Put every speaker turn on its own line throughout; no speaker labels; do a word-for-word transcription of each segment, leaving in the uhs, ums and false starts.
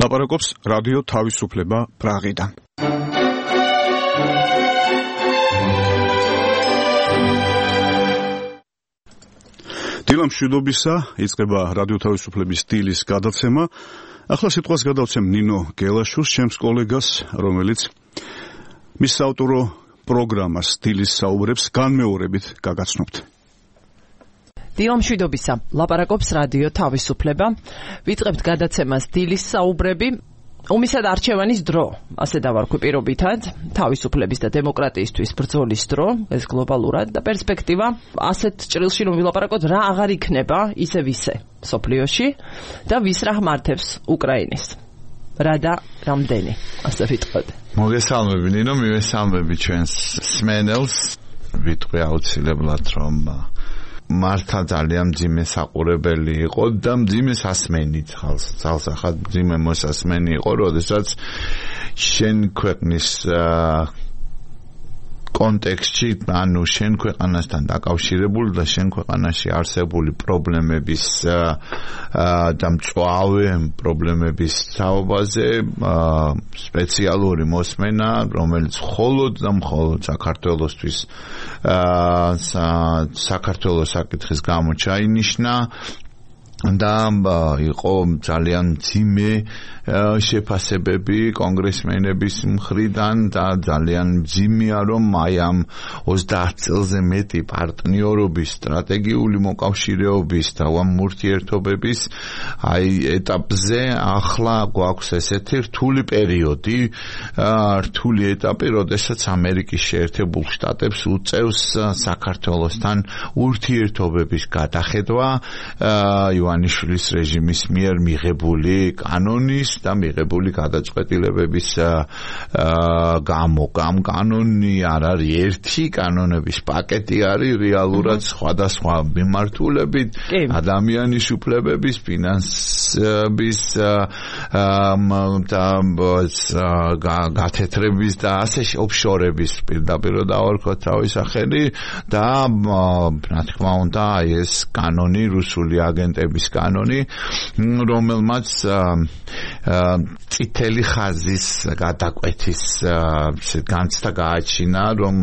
ლაპარაკობს რადიო თავისუფლება პრაღიდან. დილა მშვიდობისა, იწყება რადიო თავისუფლების სტილის გადაცემა. ახლა სიტყვას გადავცემ ნინო გელაშვილს, ჩემს კოლეგას, რომელიც მის საავტორო პროგრამას სტილის საუბრებს განმეორებით გაგაცნობთ.
დილა მშვიდობისა, ლაპარაკობს რადიო თავისუფლება. ვიწყებთ გადაცემას სტილის საუბრები. ომისა და არჩევანის დრო, ასე დავარქვი პირობითად, თავისუფლების და დემოკრატიისთვის ბრძოლის დრო, ეს გლობალურად და პერსპექტივა, ასეთ ჭრილში რომ ვილაპარაკოთ, რა აღარ იქნება ისე ვისე სოფლიოში და ვის რა მართებს უკრაინის. რა და რამდენი, ასე ვიტყოდ.
მოგესალმები ნინო, მივესალმები ჩვენს სმენელს. ვიტყვი აუცილებლად რომ მართა ძალიან მძიმე საყურებელი იყო და მძიმე სასმენით ხალხს ძალსახად მძიმე მოსასმენი იყო, როდესაც შენ ქვეყნის კონტექსტში, ანუ შენ ქვეყანასთან დაკავშირებული და შენ ქვეყანაში არსებული პრობლემების და მწვავე პრობლემების თაობაზე სპეციალური მოსმენა, რომელიც მხოლოდ და მხოლოდ საქართველოსთვის საქართველოს საკითხის გამო ჩაინიშნა და იყო ძალიან მძიმე შეფასებები კონგრესმენების მხრიდან და ძალიან მძიმეა რომ აი ამ ოცდაათ წელზე მეტი პარტნიორობის, სტრატეგიული მოკავშირეობის და ამ ურთიერთობების აი ეტაპზე ახლა გვაქვს ესეთი რთული პერიოდი, რთული ეტაპი, როდესაც ამერიკის შეერთებულ შტატებს უწევს საქართველოსთან ურთიერთობების გადახედვა ივანიშვილის რეჟიმის მიერ მიღებული კანონის და მიღებული გადაწყვეტილებების გამო. ამ კანონი არ არის ერთი, კანონების პაკეტი არის რეალურად სხვადასხვა მიმართულებით, ადამიანის უფლებების, ფინანსების და გათეთრების და ასე ოფშორების პირდაპირ დავარქვათ თავის სახელი და რა თქმა უნდა ეს კანონი, რუსული აგენტების კანონი, რომელმაც წითელი ხაზის გადაკვეთის განცდა გააჩინა, რომ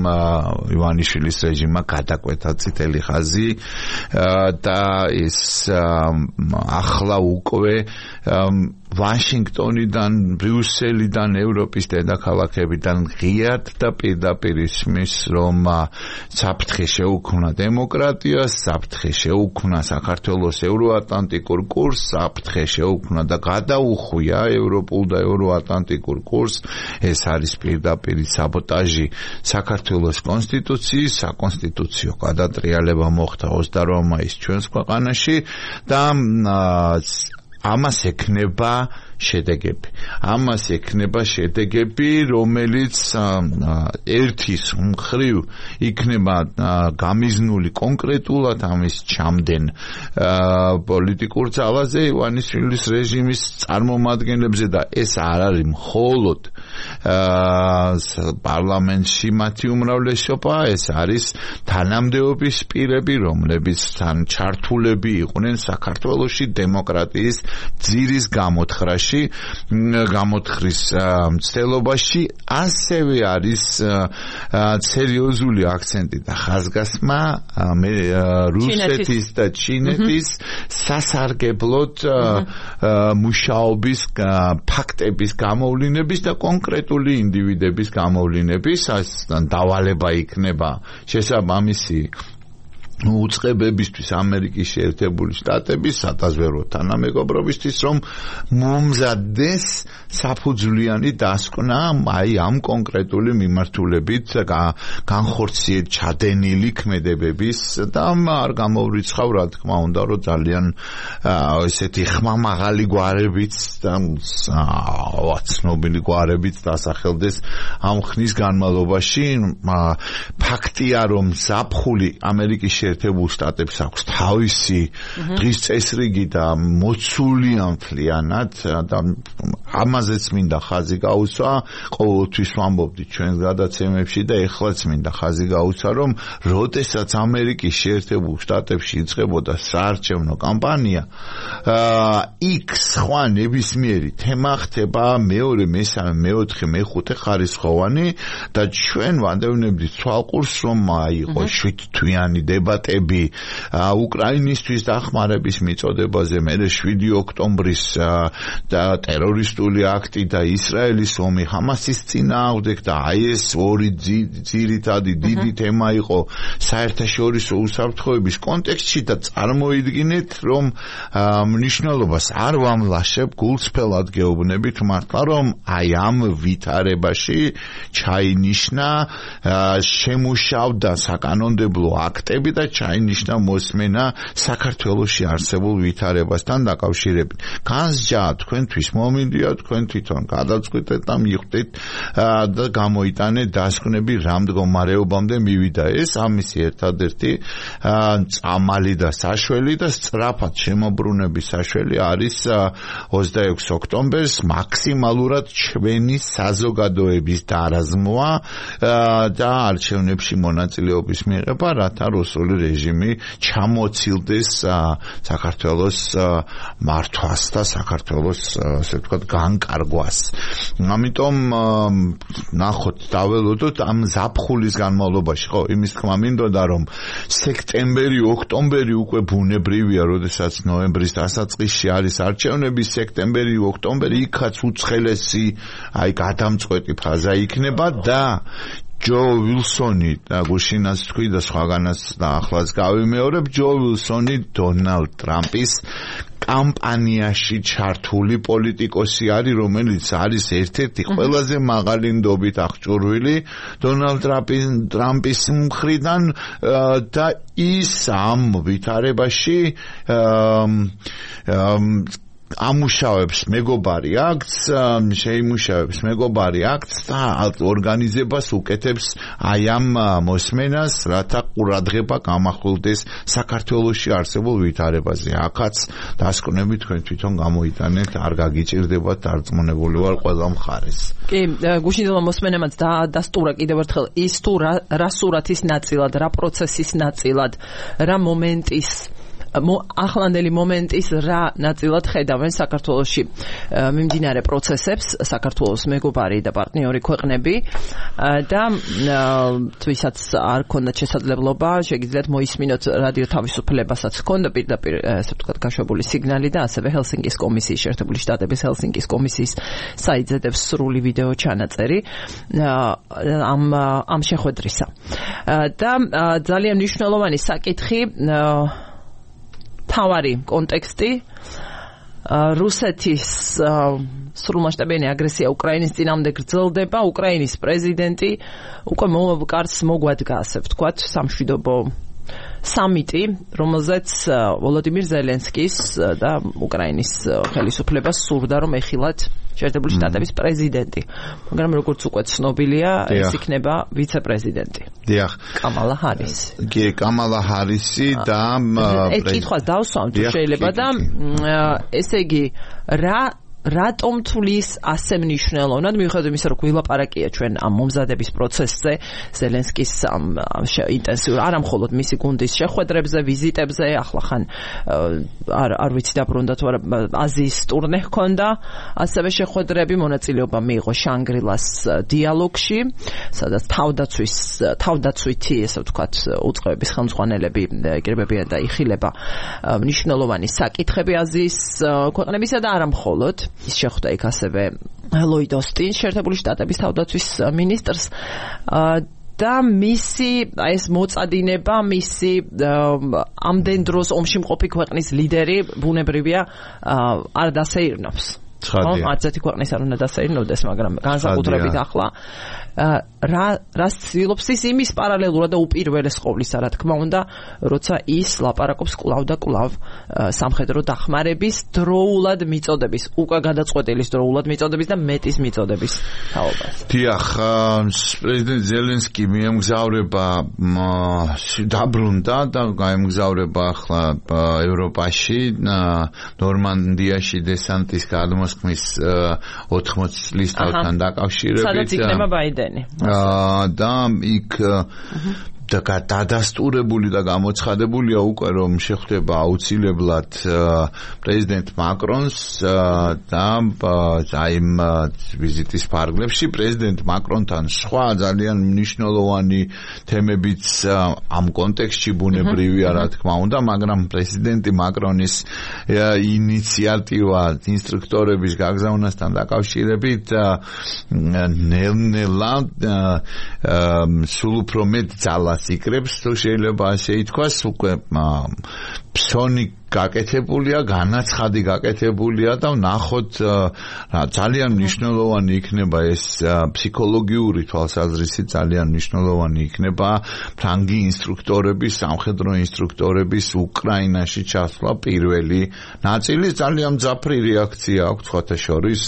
ივანიშვილის რეჟიმმა გადაკვეთა წითელი ხაზი და ეს ახლა უკვე ვაშინგტონიდან, ბრიუსელიდან, ევროპის დედაქალაქებიდან ღიად და პირდაპირ ისმის, რომ საფრთხე შეუქმნა დემოკრატიას, საფრთხე შეუქმნა საქართველოს ევროატლანტიკურ კურსს, საფრთხე შეუქმნა და გადაუხვია ევროპულ და ევროატლანტიკურ კურსს. ეს არის პირდაპირ საბოტაჟი საქართველოს კონსტიტუციის, საკონსტიტუციო გადატრიალება მოხდა ოცდაოთხ მაისს ჩვენს ქვეყანაში და ამას ექნება შედეგები. ამას ექნება შედეგები, რომელიც ერთის მხრივ იქნება გამიზნული კონკრეტულად ამის ჩამდენ პოლიტიკურ ძალაზე ივანიშვილის რეჟიმის წარმომადგენლებზე და ეს არ არის მხოლოდ პარლამენტში მათი უმრავლესობა, ეს არის თანამდებობის პირები, რომლებიც თან ჩართულები იყვნენ საქართველოში დემოკრატიის ძირის გამოთხრაში, გამოთხრის მცდელობაში. ასევე არის სერიოზული აქცენტი და ხაზგასმა რუსეთის და ჩინეთის სასარგებლოდ მუშაობის ფაქტების გამოვლინების და კონკრეტული ინდივიდების გამოვლინების დავალება იქნება შესაბამისი უწყებებისთვის ამერიკის შეერთებული შტატების სადაზვერვო თანამეგობრობისთვის, რომ მომზადდეს საფუძვლიანი დასკვნა აი ამ კონკრეტული მიმართულებით განხორციელ ჩადენილი ქმედებების და არ გამოვრიცხავ, რა თქმა უნდა, რომ ძალიან ესეთი ხმამაღალი გვარებიც და ცნობილი გვარებიც დასახელდეს ამ ხნის განმავლობაში. ფაქტია, რომ ზაფხული ამერიკის შეერთებულ შტატებს აქვს თავისი დღის წესრიგი და მოცული ამთლიანად და ამაზეც მინდა ხაზი გაუცვა, ყოველთვის ვამბობდი ჩვენს გადაცემებში და ეხლაც მინდა ხაზი გაუცვა, რომ როდესაც ამერიკის შეერთებულ შტატებში იწყებოდა საარჩევნო კამპანია, იქ სხვა ნებისმიერი თემა ხდება მეორე, მესამე, მეოთხე, მეხუთე ხარისხოვანი და ჩვენ ვანდევნებდით თვალყურს, რომ იყო შვიდთვიანი დებატები უკრაინისთვის დახმარების მიწოდებაზე, მერე შვიდი ოქტომბრის და ტერორისტული აქტი და ისრაელის ომი ჰამასის წინააღმდეგ და აი ეს ორი ძირითადი დიდი თემა იყო საერთაშორისო უსაფრთხოების კონტექსტში და წარმოიდგინეთ, რომ მნიშვნელობას არ ვამლაშებ გულწრფელად გეუბნებით მართლა, რომ აი ამ ვითარებაში ჩაინიშნა შემუშავდა საკანონმდებლო აქტები და ჩაინიშნა მოსმენა საქართველოში არსებულ ვითარებასთან დაკავშირებით. განსჯა თქვენთვის მომინდია, თქვენ თვითონ გადაწყვეტეთ და მიხვდით და გამოიტანეთ დასკვნები რა მდგომარეობამდე მივიდა ეს ამისი ერთადერთი წამალი და საშველი და სწრაფად შემოbrunების საშველი არის ოცდაექვსი ოქტომბერს მაქსიმალურად ჩვენი საზოგადოების დარაზმვა და არჩევნებში მონაწილეობის მიღება, რათა რუსული რეჟიმი ჩამოცილდეს საქართველოს მართვას და საქართველოს ასე ვთქვათ განკარგვას. ამიტომ ნახოთ, დაველოდოთ ამ ზაფხულის განმავლობაში, ხო, იმის თქმა მინდოდა, რომ სექტემბერი, ოქტომბერი უკვე ბუნებრივია, როდესაც ნოემბრის დასაწყისში არის არჩევნები, სექტემბერი, ოქტომბერი იქაც უცხელესი, აი გადამწყვეტი ფაზა იქნება და ჯო ვილსონი და გუშინაც თქვი და სხვაგანაც და ახლაც გავიმეორებ, ჯო ვილსონი დონალდ ტრამპის კამპანიაში ჩართული პოლიტიკოსი არის, რომელიც არის ერთ-ერთი ყველაზე მაღალი ნდობით აღჭურვილი დონალდ ტრამპის მხრიდან და ის ამ ვითარებაში ამუშავებს მეგობარი აქტს, შეიმუშავებს მეგობარი აქტს და ორგანიზებას უკეთებს აი ამ მოსმენას, რათა ყურადღება გამახვილდეს საქართველოში არსებულ ვითარებაზე. აქაც დასკვნები თქვენ თვითონ გამოიტანეთ, არ გაგიჭირდებათ, დარწმუნებული ვარ ყველა მხარეს.
კი, გუშინდელმა მოსმენამაც დასტურა კიდევ ერთხელ ის თუ რა სურათის ნაწილად, რა პროცესის ნაწილად, რა მომენტის ახლანდელი მომენტის რა ნაწილად ხედავენ საქართველოში მიმდინარე პროცესებს საქართველოს მეგობარი და პარტნიორი ქვეყნები და თვისაც არ ქონდა შესაძლებლობა შეგიძლიათ მოისმინოთ რადიო თავისუფლებასაც ქონდა პირდაპირ ასე ვთქვათ გაშვებული სიგნალი და ასევე ჰელსინკის კომისიის შეერთებული შტატების ჰელსინკის კომისიის საიტზე დევს სრული ვიდეო ჩანაწერი ამ ამ შეხვედრისა და ძალიან მნიშვნელოვანი საკითხი თავარი კონტექსტი რუსეთის სრულმასშტაბიანი აგრესია უკრაინის წინააღმდეგ გრძელდება, უკრაინის პრეზიდენტი უკვე კარს მოგვადგა, ასე ვთქვათ, სამშვიდობო სამიტი, რომელზეც ვოლოდიმირ ზელენსკის და უკრაინის ხელისუფლებას სურდა, რომ ეხილათ შეერთებული შტატების პრეზიდენტი. მაგრამ როგორც უკვე ცნობილია, ეს იქნება ვიცე-პრეზიდენტი.
დიახ.
კამალა ჰარისი.
კი, კამალა ჰარისი და
ეს კითხვას დავსვამ თუ შეიძლება და ესე იგი რა რატომ თulis ასე მნიშვნელოვნად მიუხედავად იმისა, რომ გვილაპარაკია ჩვენ ამ მომზადების პროცესზე, ზელენსკის ამ ინტენსიურ არა მხოლოდ მისი გუნდის შეხვედრებზე, ვიზიტებზე, ახლა ხან არ არ ვიცი დაბრუნდა თუ არა აზიის ტურნე ჰქონდა, ასევე შეხვედრები, მონაწილეობა მიიღო შანგრილას დიალოგში, სადაც თავდაცვის თავდაცვითი, ესე ვთქვათ, უწყებების ხელმძღვანელები იკრიბებიან და იხილება მნიშვნელოვანი საკითხები აზიის ქვეყნებისა და არა მხოლოდ ის შეხვდა იქ ასევე ლოიდ ოსტინს, შეერთებული შტატების თავდაცვის მინისტრს და მისი ეს მოწადინება, მისი ამდენ დროს ომში მყოფი ქვეყნის ლიდერი ბუნებრივია არ დასეირნობს.
ცხადია.
არც ერთი ქვეყნის არ უნდა დასეირნოდეს, მაგრამ განსაკუთრებით ახლა რა რას ცდილობს ის იმის პარალელურად და უპირველეს ყოვლისა, რა თქმა უნდა, როცა ის ლაპარაკობს კვლავ და კვლავ სამხედრო დახმარების დროულად მიწოდების, უკვე გადაწყვეტილის დროულად მიწოდების და მეტის მიწოდების თაობას.
დიახ, პრეზიდენტ ზელენსკი მიემგზავრება დაბრუნდა და გაემგზავრება ახლა ევროპაში, ნორმანდიაში დესანტის გადმოსხმის ოთხმოცი წლის თავთან დაკავშირებით.
სადაც იქნება ბაიდენი.
და იქ და დადასტურებული და გამოცხადებულია უკვე რომ შეხვდება აუცილებლად პრეზიდენტ მაკრონს და აი ვიზიტის ფარგლებში პრეზიდენტ მაკრონთან სხვა ძალიან მნიშვნელოვანი თემებიც ამ კონტექსტში ბუნებრივია რა თქმა უნდა, მაგრამ პრეზიდენტი მაკრონის ინიციატივა ინსტრუქტორების გაგზავნასთან დაკავშირებით ნელ-ნელა სულ უფრო მეტ ძალას იკრებს, თუ შეიძლება ასე ითქვას, უკვე ფსონი გაკეთებულია, განაცხადი გაკეთებულია და ვნახოთ ძალიან მნიშვნელოვანი იქნება ეს ფსიქოლოგიური თვალსაზრისით ძალიან მნიშვნელოვანი იქნება ფრანგი ინსტრუქტორების, სამხედრო ინსტრუქტორების უკრაინაში ჩასვლა პირველი ნაწილი. ძალიან მძაფრი რეაქცია აქვს სხვათა შორის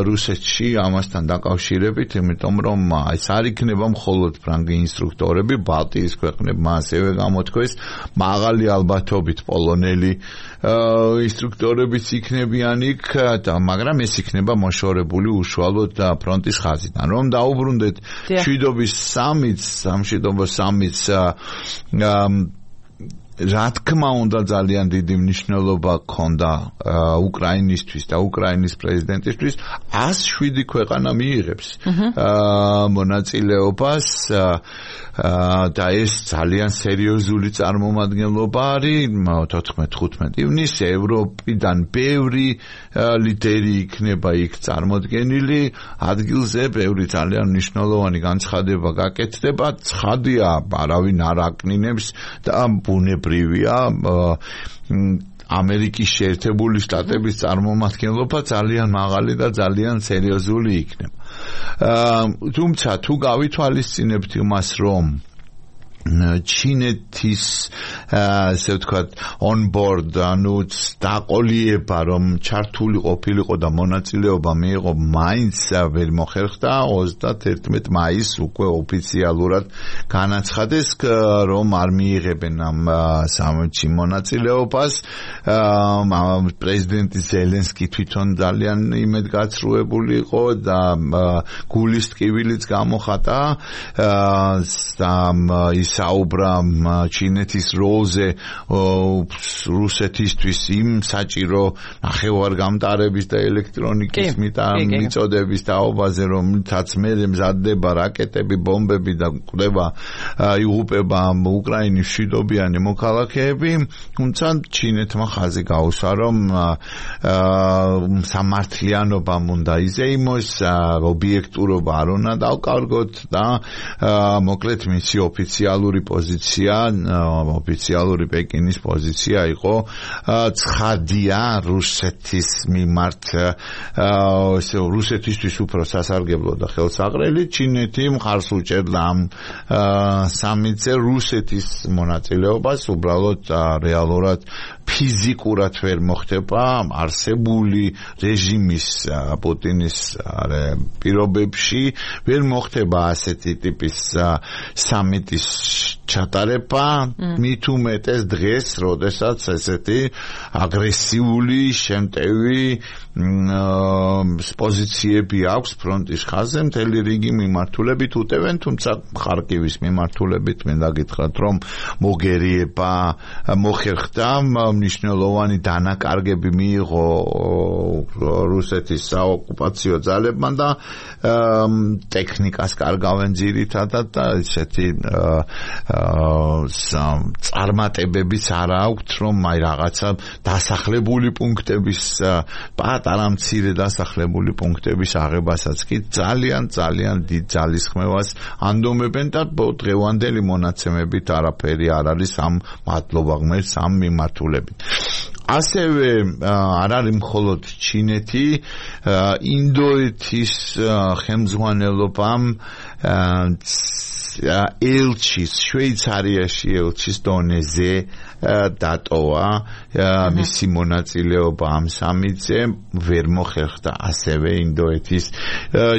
რუსეთში ამასთან დაკავშირებით, იმიტომ რომ ეს არ იქნება მხოლოდ ფრანგი ინსტრუქტორები, ბალტიის ქვეყნებმა ასევე გამოთქვეს, მაღალი ალბათობით პოლონელი ინსტრუქტორებიც იქნებიან იქ, მაგრამ ეს იქნება მოშორებული უშუალოდ ფრონტის ხაზიდან. რომ დაუბრუნდეთ მშვიდობის სამიტს, სამშვიდობო სამიტს რა თქმა უნდა ძალიან დიდი მნიშვნელობა ჰქონდა უკრაინისთვის და უკრაინის პრეზიდენტისთვის. ას შვიდი ქვეყანა მიიღებს მონაწილეობას და ეს ძალიან სერიოზული წარმომადგენლობა არის. თოთხმეტი ხუთმეტი ივნისს ევროპიდან ბევრი ლიდერი იქნება იქ წარმოდგენილი ადგილზე, ბევრი ძალიან მნიშვნელოვანი განცხადება გაკეთდება. ცხადია, არავინ არ აკნინებს და ბუნებრივია ამერიკის შეერთებული შტატების წარმომადგენლობა ძალიან მაღალი და ძალიან სერიოზული იქნება. თუმცა თუ გავითვალისწინებთ იმას, რომ ჩინეთის ასე ვთქვათ on board ანუ დაყოლიება რომ ჩართული ყოფილიყო და მონაწილეობა მიიღო მაინც ვერ მოხერხდა. ოცდაერთი მაისს უკვე ოფიციალურად განაცხადეს რომ არ მიიღებენ ამ სამიტში მონაწილეობას. პრეზიდენტი ზელენსკი თვითონ ძალიან იმედგაცრუებული იყო და გულის ტკივილიც გამოხატა და საუბრა ჩინეთის როლზე რუსეთისთვის იმ საჭირო ნახევარგამტარების და ელექტრონიკის მიწოდების თაობაზე, რომლითაც მერე მზადდება რაკეტები, ბომბები და კვდება იღუპება უკრაინის მშვიდობიანი მოქალაქეები. თუმცა ჩინეთმა ხაზი გაუსვა, რომ სამართლიანობამ უნდა იზეიმოს, ობიექტურობა არ უნდა დავკარგოთ და მოკლედ მისი ოფიციალური პოზიცია, ოფიციალური პეკინის პოზიცია იყო ცხადია რუსეთის მიმართ, ესე რუსეთისთვის უფრო სასარგებლო და ხელსაყრელი. ჩინეთი მხარს უჭერდა ამ სამიტზე რუსეთის მონაწილეობას, უბრალოდ რეალურად ფიზიკურად ვერ მოხდება არსებული რეჟიმის პუტინის პირობებში, ვერ მოხდება ასეთი ტიპის სამიტის ჩატარება, მით უმეტეს დღეს, როდესაც ესეთი აგრესიული, შემტევი პოზიციები აქვს ფრონტის ხაზზე, მთელი რიგი მიმართულებით უტევენ, თუმცა ხარკივის მიმართულებით მინდა გითხრათ, რომ მოგერიება მოხერხდა, მნიშვნელოვანი დანაკარგები მიიღო რუსეთის საოკუპაციო ძალებმა და ტექნიკას კარგავენ ძირითადად და ესეთი წარმატებებიც არ აქვთ, რომ აი რაღაცა დასახლებული პუნქტების პატარა მცირე დასახლებული პუნქტების აღებასაც კი ძალიან ძალიან დიდ ძალისხმევას ანდომებენ და დღევანდელი მონაცემებით არაფერი არ არის ამ მადლობა ღმერთს ამ მიმართულებით. ასევე არ არის მხოლოდ ჩინეთი, ინდოეთის ხელმძღვანელობამ ელჩის შვეიცარიაში ელჩის დონეზე დატოვა მისი მონაწილეობა ამ სამიტზე ვერ მოხერხდა ასევე ინდოეთის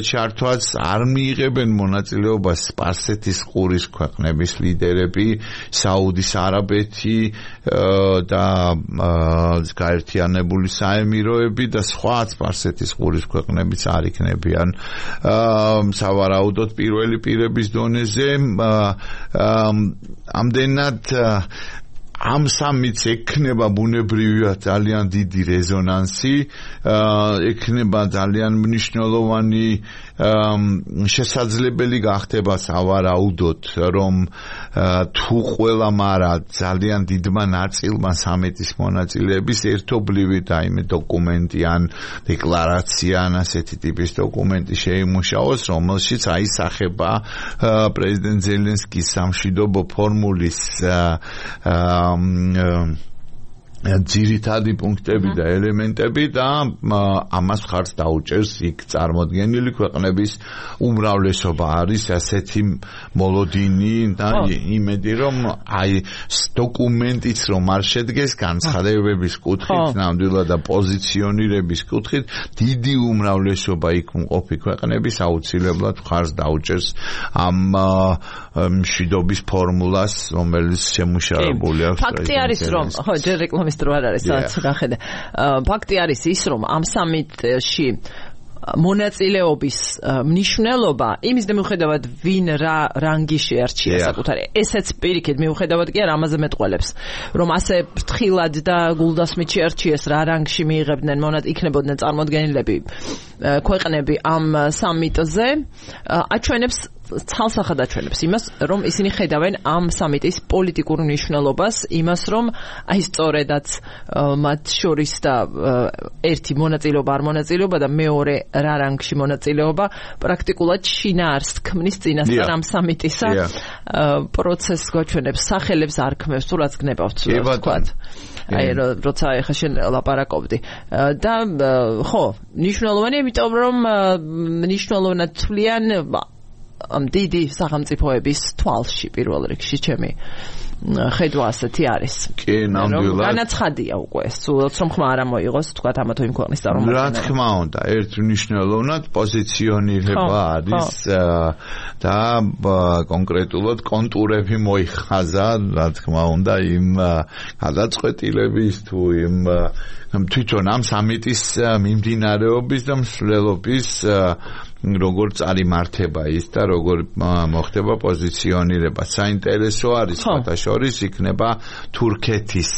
ჩართვაც არ მიიღებენ მონაწილეობას სპარსეთის ყურის ქვეყნების ლიდერები საუდის არაბეთი და გაერთიანებული საემიროები და სხვა სპარსეთის ყურის ქვეყნებიც არ იქნებიან სავარაუდოდ პირველი პირების დონეზე ამდენად ამ სამიტს ექნება ბუნებრივია ძალიან დიდი რეზონანსი, ექნება ძალიან მნიშვნელოვანი შესაძლებელი გახდება სავარაუდოდ, რომ თუ ყველა მარა ძალიან დიდმა ნაწილმა სამიტის მონაწილეების ერთობლივი და იმე დოკუმენტი ან დეკლარაცია ან ასეთი ტიპის დოკუმენტი შეიმუშაოს, რომელშიც აისახება პრეზიდენტ ზელენსკის სამშვიდობო ფორმულის ძირითადი პუნქტები და ელემენტები და ამას ხარს დაუჭერს იქ წარმოდგენილი ქვეყნების უმრავლესობა არის ასეთი მოლოდინი და იმედი რომ აი დოკუმენტიც რომ არ შედგეს განცხადებების კუთხით ნამდვილად და პოზიციონირების კუთხით დიდი უმრავლესობა იქ მყოფი ქვეყნების აუცილებლად ხარს დაუჭერს ამ მშვიდობის ფორმულას რომელიც შემუშავებული აქვს
ფაქტი არის რომ ხო ჯერ რეკლამის დრო არ არის სადაც გახედე ფაქტი არის ის რომ ამ სამიტში მონაწილეობის მნიშვნელობა იმის მიუხედავად ვინ რა რანგი შეარჩია საკუთარი ესეც პირიქით მიუხედავად კი არ ამაზე მეტყველებს რომ ასე ფრთხილად და გულდასმით შეარჩიეს რა რანგში მიიღებდნენ მონად იქნებოდნენ წარმოდგენილები ქვეყნები ამ სამიტზე აჩვენებს ცალსახად აჩვენებს იმას რომ ისინი ხედავენ ამ სამიტის პოლიტიკურ მნიშვნელობას იმას რომ აი სწორედაც მათ შორის და ერთი მონაწილეობა არ მონაწილეობა და მეორე რა რანგში მონაწილეობა პრაქტიკულად შინაარს ქმნის წინასწარ ამ სამიტისა პროცესს გვაჩვენებს სახელებს არ ქმნებს თუ რაც გნებავთ თქვათ აი როცა ეხა შენ ლაპარაკობდი და ხო მნიშვნელოვანია იმიტომ რომ მნიშვნელოვნად თვლიან ამ დიდი სახელმწიფოების თვალში პირველ რიგში ჩემი ხედვა ასეთი არის.
კი, ნამდვილად.
განაცხადია უკვე, სულაც რომ ხმა არ მოიღოს, თქვათ ამა თუ იმ ქვეყნის
რა
წარმომადგენლები.
თქმა უნდა, ერთ მნიშვნელოვნად პოზიციონირება არის და კონკრეტულად კონტურები მოიხაზა, რა თქმა უნდა, იმ გადაწყვეტილების თუ იმ თვითონ ამ სამიტის მიმდინარეობის და მსვლელობის როგორ წარიმართება ის და როგორ მოხდება პოზიციონირება. საინტერესო არის ფათაშორის იქნება თურქეთის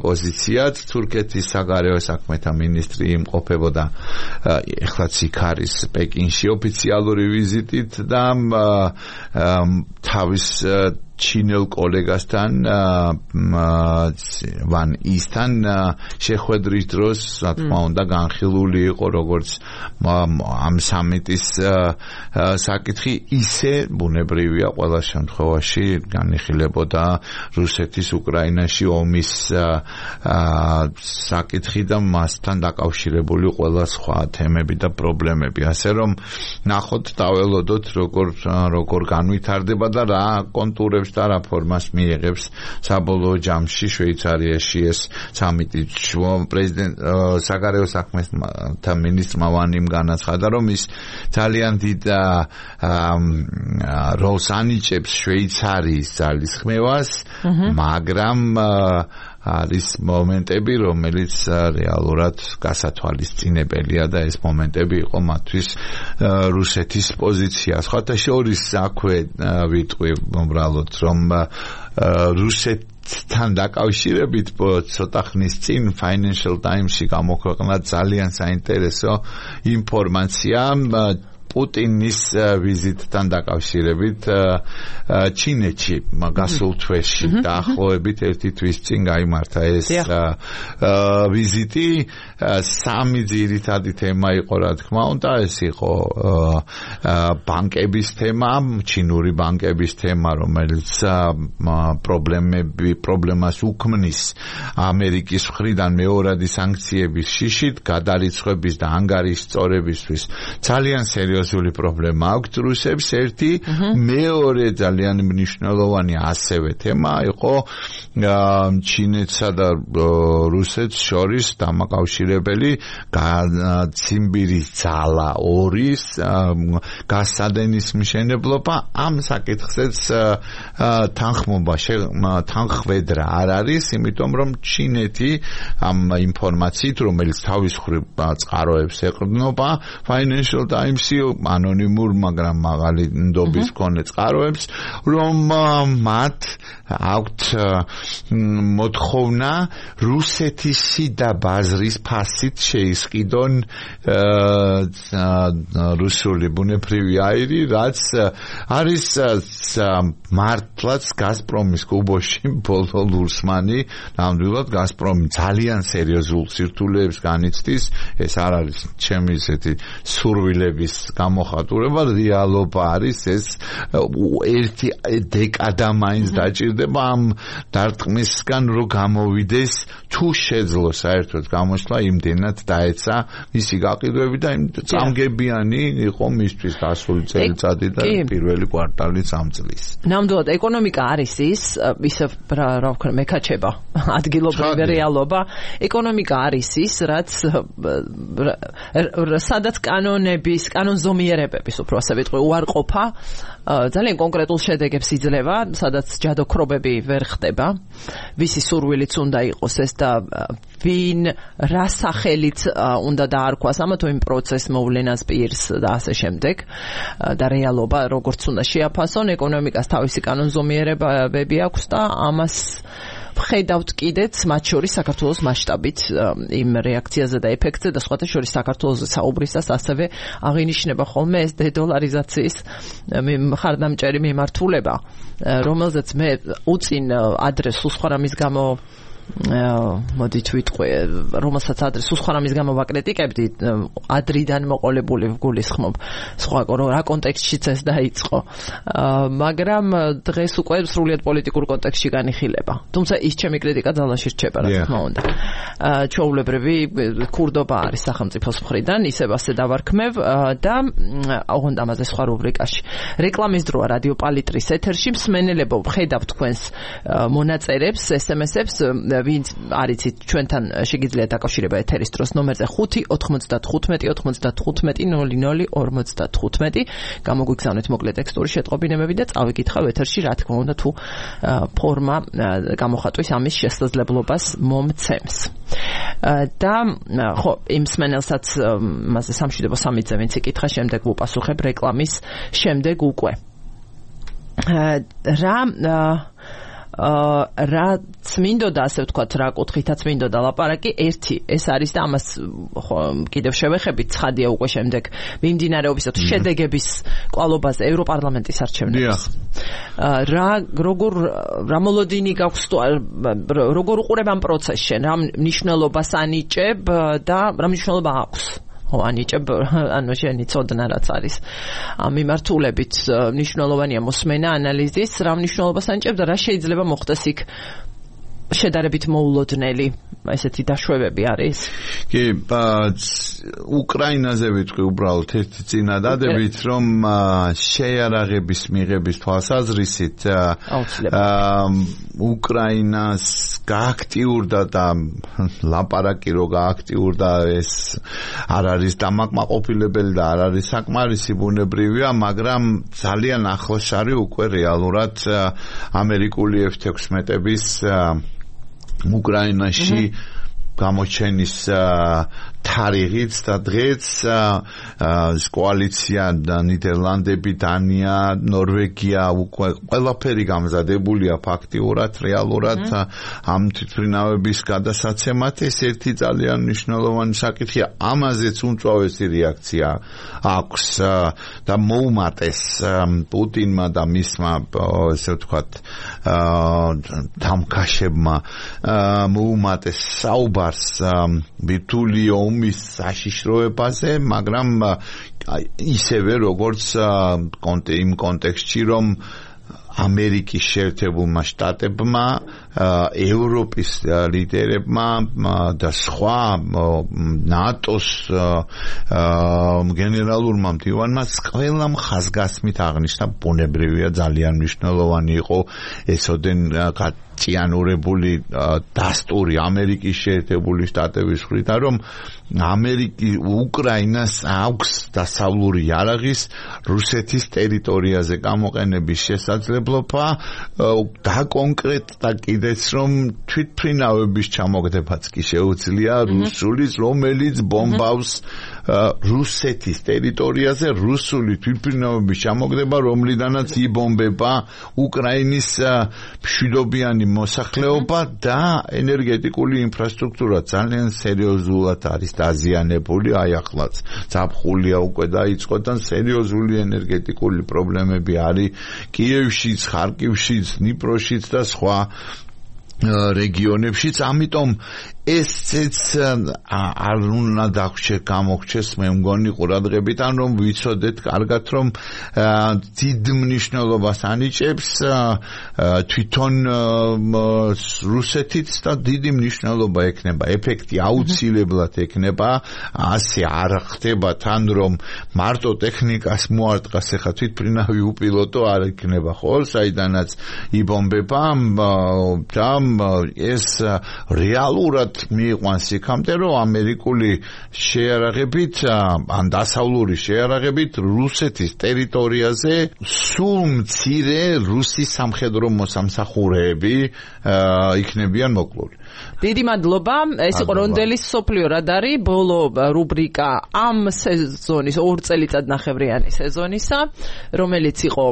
პოზიციაც, თურქეთის საგარეო საქმეთა მინისტრი იმყოფებოდა ეხლაც იქ არის პეკინში ოფიციალური ვიზიტით და თავის ჩინელ კოლეგასთან ვან ისთან შეხვედრის დროს რა თქმა უნდა განხილული იყო როგორც ამ სამიტის საკითხი ისე ბუნებრივია ყველა შემთხვევაში განიხილებოდა რუსეთის უკრაინაში ომის საკითხი და მასთან დაკავშირებული ყველა სხვა თემები და პრობლემები ასე რომ ნახოთ დაველოდოთ როგორ როგორ განვითარდება და რა კონტურებს და რა ფორმას მიიღებს საბოლოო ჯამში შვეიცარიაში ეს სამიტი პრეზიდენტ საგარეო საქმეთა მინისტრმა ვანიმ განაცხადა რომ ის ძალიან დიდ როლს ანიჭებს შვეიცარიის ძალისხმევას მაგრამ არის მომენტები რომელიც რეალურად გასათვალისწინებელია და ეს მომენტები იყო მათთვის რუსეთის პოზიცია სხვათა შორის აქვე ვიტყვი უბრალოდ რომ რუსეთ თან დაკავშირებით ცოტა ხნის წინ Financial Times-ში გამოქვეყნდა ძალიან საინტერესო ინფორმაცია პუტინის ვიზიტთან დაკავშირებით ჩინეთში გასულ თვეში დაახლოებით ერთი თვის წინ გაიმართა ეს ვიზიტი სამი ძირითადი თემა იყო რა თქმა უნდა ეს იყო ბანკების თემა ჩინური ბანკების თემა რომელიც პრობლემები პრობლემას უქმნის ამერიკის მხრიდან მეორადი სანქციების შიშით გადარიცხვების და ანგარიშ სწორებისთვის ძალიან სერიოზული პრობლემა აქვს რუსებს ერთი მეორე ძალიან მნიშვნელოვანი ასევე თემა იყო ჩინეთსა და რუსეთს შორის დამაკავშირებელი ციმბირის ძალა ორის გასადენის მშენებლობა ამ საკითხზეც თანხმობა თანხwebdriver არ არის იმიტომ რომ ჩინეთი ამ ინფორმაციით რომელიც თავის მხრივ წყაროებს ეყრდნობა Financial Times-ი ანონიმურ მაგრამ მაღალი ნდობის მქონე წყაროებს რომ მათ აქვთ მოთხოვნა რუსეთის შიდა ბაზრის ფასით შეისყიდონ რუსული ბუნებრივი აირი რაც არის მართლაც გაზპრომის კუბოში ბოლო ლურსმანი ნამდვილად გაზპრომი ძალიან სერიოზულ სირთულეებს განიცდის ეს არ არის ჩემი ესეთი სურვილების გამოხატულება რეალობა არის ეს ერთი დეკადა მაინც დაჭირდება ამ დარტყმისგან რომ გამოვიდეს თუ შეძლო საერთოდ გამოსვლა იმდენად დაეცა მისი გაყიდვები და იმ წამგებიანი იყო მისთვის დასული წელიწადი და პირველი კვარტალი ამ წლის
ნამდვილად ეკონომიკა არის ის ისე რა ვქნა მეკაჩება ადგილობრივი რეალობა ეკონომიკა არის ის რაც სადაც კანონების კანონზომიერებების უფრო ასე ვიტყვი უარყოფა ძალიან კონკრეტულ შედეგებს იძლევა სადაც ჯადოქრობები ვერ ხდება ვისი სურვილიც უნდა იყოს ეს და ვინ რა სახელით უნდა დაარქვას ამა თუ იმ პროცესს მოვლენას პირს და ასე შემდეგ და რეალობა როგორც უნდა შეაფასონ ეკონომიკას თავისი კანონზომიერებები აქვს და ამას ვხედავთ კიდეც მათ შორის საქართველოს მასშტაბით იმ რეაქციაზე და ეფექტზე და სხვათა შორის საქართველოს საუბრისას ასევე აღინიშნება ხოლმე ეს დედოლარიზაციის მხარდამჭერი მიმართულება რომელზეც მე უწინ ადრეს სულსხვარამის გამო მოდით ვიტყვი რომელსაც ადრეს სულსხვარამის გამო ვაკრიტიკებდი ადრიდან მოყოლებული ვგულისხმობ სხვა რა კონტექსტშიც ეს დაიწყო მაგრამ დღეს უკვე სრულიად პოლიტიკურ კონტექსტში განიხილება თუმცა ის ჩემი კრიტიკა ძალაში რჩება რა თქმა უნდა ჩვეულებრივი ქურდობა არის სახელმწიფოს მხრიდან ისევ ასე დავარქმევ და ოღონდ ამაზე სხვა რუბრიკაში რეკლამის დროა რადიო პალიტრის ეთერში მსმენელებო ვხედავ თქვენს მონაწერებს ესემესებს ვინც არიცით ჩვენთან შეგიძლიათ დაკავშირება ეთერის დროს ნომერზე ხუთი ოცდათხუთმეტი ოცდათხუთმეტი ნული ნული ორმოცდათხუთმეტი გამოგვიგზავნეთ მოკლე ტექსტური შეტყობინებები და წავიკითხავ ეთერში რა თქმა უნდა თუ ფორმა გამოხატვის ამის შესაძლებლობას მომცემს და ხო იმ მსმენელსაც მასე სამშვიდობო სამიძე ვინც იკითხა შემდეგ ვუპასუხებ რეკლამის შემდეგ უკვე რა რაც მინდოდა ასე ვთქვათ რა კუთხითაც მინდოდა ლაპარაკი ერთი ეს არის და ამას კიდევ შევეხებით ცხადია უკვე შემდეგ მიმდინარეობისა თუ შედეგების კვალობაზე ევროპარლამენტის არჩევნების რა როგორ რა მოლოდინი გაქვს როგორ უყურებ ამ პროცესს შენ რა მნიშვნელობას ანიჭებ და რა მნიშვნელობა აქვს ანიჭებ ანუ შენი წოდნა რაც არის ამ მიმართულებით მნიშვნელოვანია მოსმენა ანალიზის რა მნიშვნელობას ანიჭებ და რა შეიძლება მოხდეს იქ შედარებით მოულოდნელი ესეთი დაშვებები არის
კი უკრაინაზე ვიტყვი უბრალოდ ერთი წინადადებით რომ შეიარაღების მიღების თვალსაზრისით უკრაინას გააქტიურდა და ლაპარაკი რო გააქტიურდა ეს არ არის დამაკმაყოფილებელი და არ არის საკმარისი ბუნებრივია მაგრამ ძალიან ახლოს არის უკვე რეალურად ამერიკული ეფ თექვსმეტების უკრაინაში გამოჩენის თარიღიც და დღეც კოალიცია ნიდერლანდები, დანია, ნორვეგია უკვე ყველაფერი გამზადებულია ფაქტიურად, რეალურად ამ თვითმფრინავების გადასაცემად. ეს ერთი ძალიან მნიშვნელოვანი საკითხია. ამაზეც უმწვავესი რეაქცია აქვს და მოუმატეს პუტინმა და მისმა ესე ვთქვათ დამკაშებმა მოუმატეს საუბარს ბირთვული ომის საშიშროებაზე, მაგრამ ისევე როგორც იმ კონტექსტში, რომ ამერიკის შეერთებულმა შტატებმა, ევროპის ლიდერებმა და სხვა ნატოს გენერალურმა მდივანმა ყველამ ხაზგასმით აღნიშნა, ბუნებრივია ძალიან მნიშვნელოვანი იყო ესოდენ ჭიანურებული დასტური ამერიკის შეერთებული შტატების მხრიდან, რომ ამერიკი უკრაინას აქვს დასავლური იარაღის რუსეთის ტერიტორიაზე გამოყენების შესაძლებლობა და კონკრეტად კიდეც რომ თვითმფრინავების ჩამოგდებაც კი შეუძლია რუსულის, რომელიც ბომბავს რუსეთის ტერიტორიაზე, რუსული თვითმფრინავების ჩამოგდება, რომლიდანაც იბომბება უკრაინის მშვიდობიანი მოსახლეობა და ენერგეტიკული ინფრასტრუქტურა ძალიან სერიოზულად არის დაზიანებული. აი ახლაც ზაფხულია უკვე დაიწყო და სერიოზული ენერგეტიკული პრობლემები არის კიევშიც, ხარკივშიც, დნიპროშიც და სხვა რეგიონებშიც. ამიტომ ესეც არ უნდა დაგვრჩეს, გამოგვჩეს მე მგონი ყურადღებიდან, რომ ვიცოდეთ კარგად, რომ დიდ მნიშვნელობას ანიჭებს თვითონ რუსეთიც და დიდი მნიშვნელობა ექნება, ეფექტი აუცილებლად ექნება. ასე არ ხდება თან, რომ მარტო ტექნიკას მოარტყას, ახლა თვითმფრინავი უპილოტო არ ექნება, ხო, საიდანაც იბომბება და ეს რეალურად მიიყვანს იქამდე, რომ ამერიკული შეიარაღებით ან დასავლური შეიარაღებით რუსეთის ტერიტორიაზე სულ მცირე რუსი სამხედრო მოსამსახურეები იქნებიან მოკლული.
დიდი მადლობა. ეს იყო რონდელის სოფლიო რადარი, ბოლო რუბრიკა ამ სეზონის ორ წელიწადნახევრიანი სეზონისა, რომელიც იყო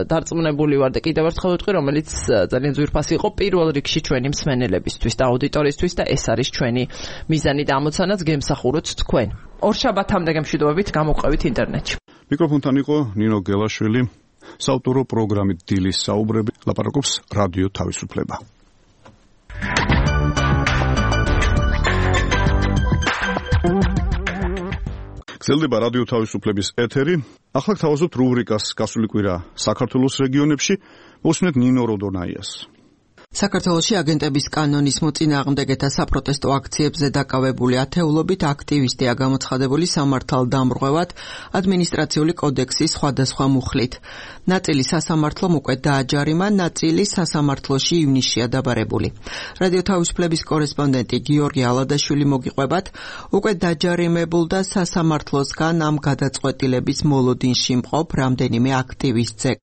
დარწმუნებული ვარ და კიდევ ერთხელ ვიტყვი, რომელიც ძალიან ძვირფასი იყო პირველ რიგში ჩვენი მსმენელებისთვის და აუდიტორიისთვის და ეს არის ჩვენი მიზანი და ამოცანაც გემსახუროთ თქვენ. ორშაბათამდე გემშვიდობებით, გამოყვებით ინტერნეტში.
მიკროფონთან იყო ნინო გელაშვილი, საავტორო პროგრამით დილის საუბრები, ლაპარაკობს რადიო თავისუფლება. გრძელდება რადიო თავისუფლების ეთერი. ახლა გთავაზობთ რუბრიკას გასული კვირა საქართველოს რეგიონებში. მოსმენთ ნინო როდონაიას.
საქართველოში აგენტების კანონის მოწინააღმდეგეთა საპროტესტო აქციებზე დაკავებული ათეულობით აქტივისტია გამოცხადებული სამართალდამრღვევად ადმინისტრაციული კოდექსის სხვადასხვა მუხლით. ნაწილი სასამართლომ უკვე დააჯარიმა, ნაწილი სასამართლოში ივნისშია დაბარებული. რადიო თავისუფლების კორესპონდენტი გიორგი ალადაშვილი მოგიყვებათ, უკვე დაჯარიმებულ და სასამართლოსგან ამ გადაწყვეტილების მოლოდინში მყოფ რამდენიმე აქტივისტზე.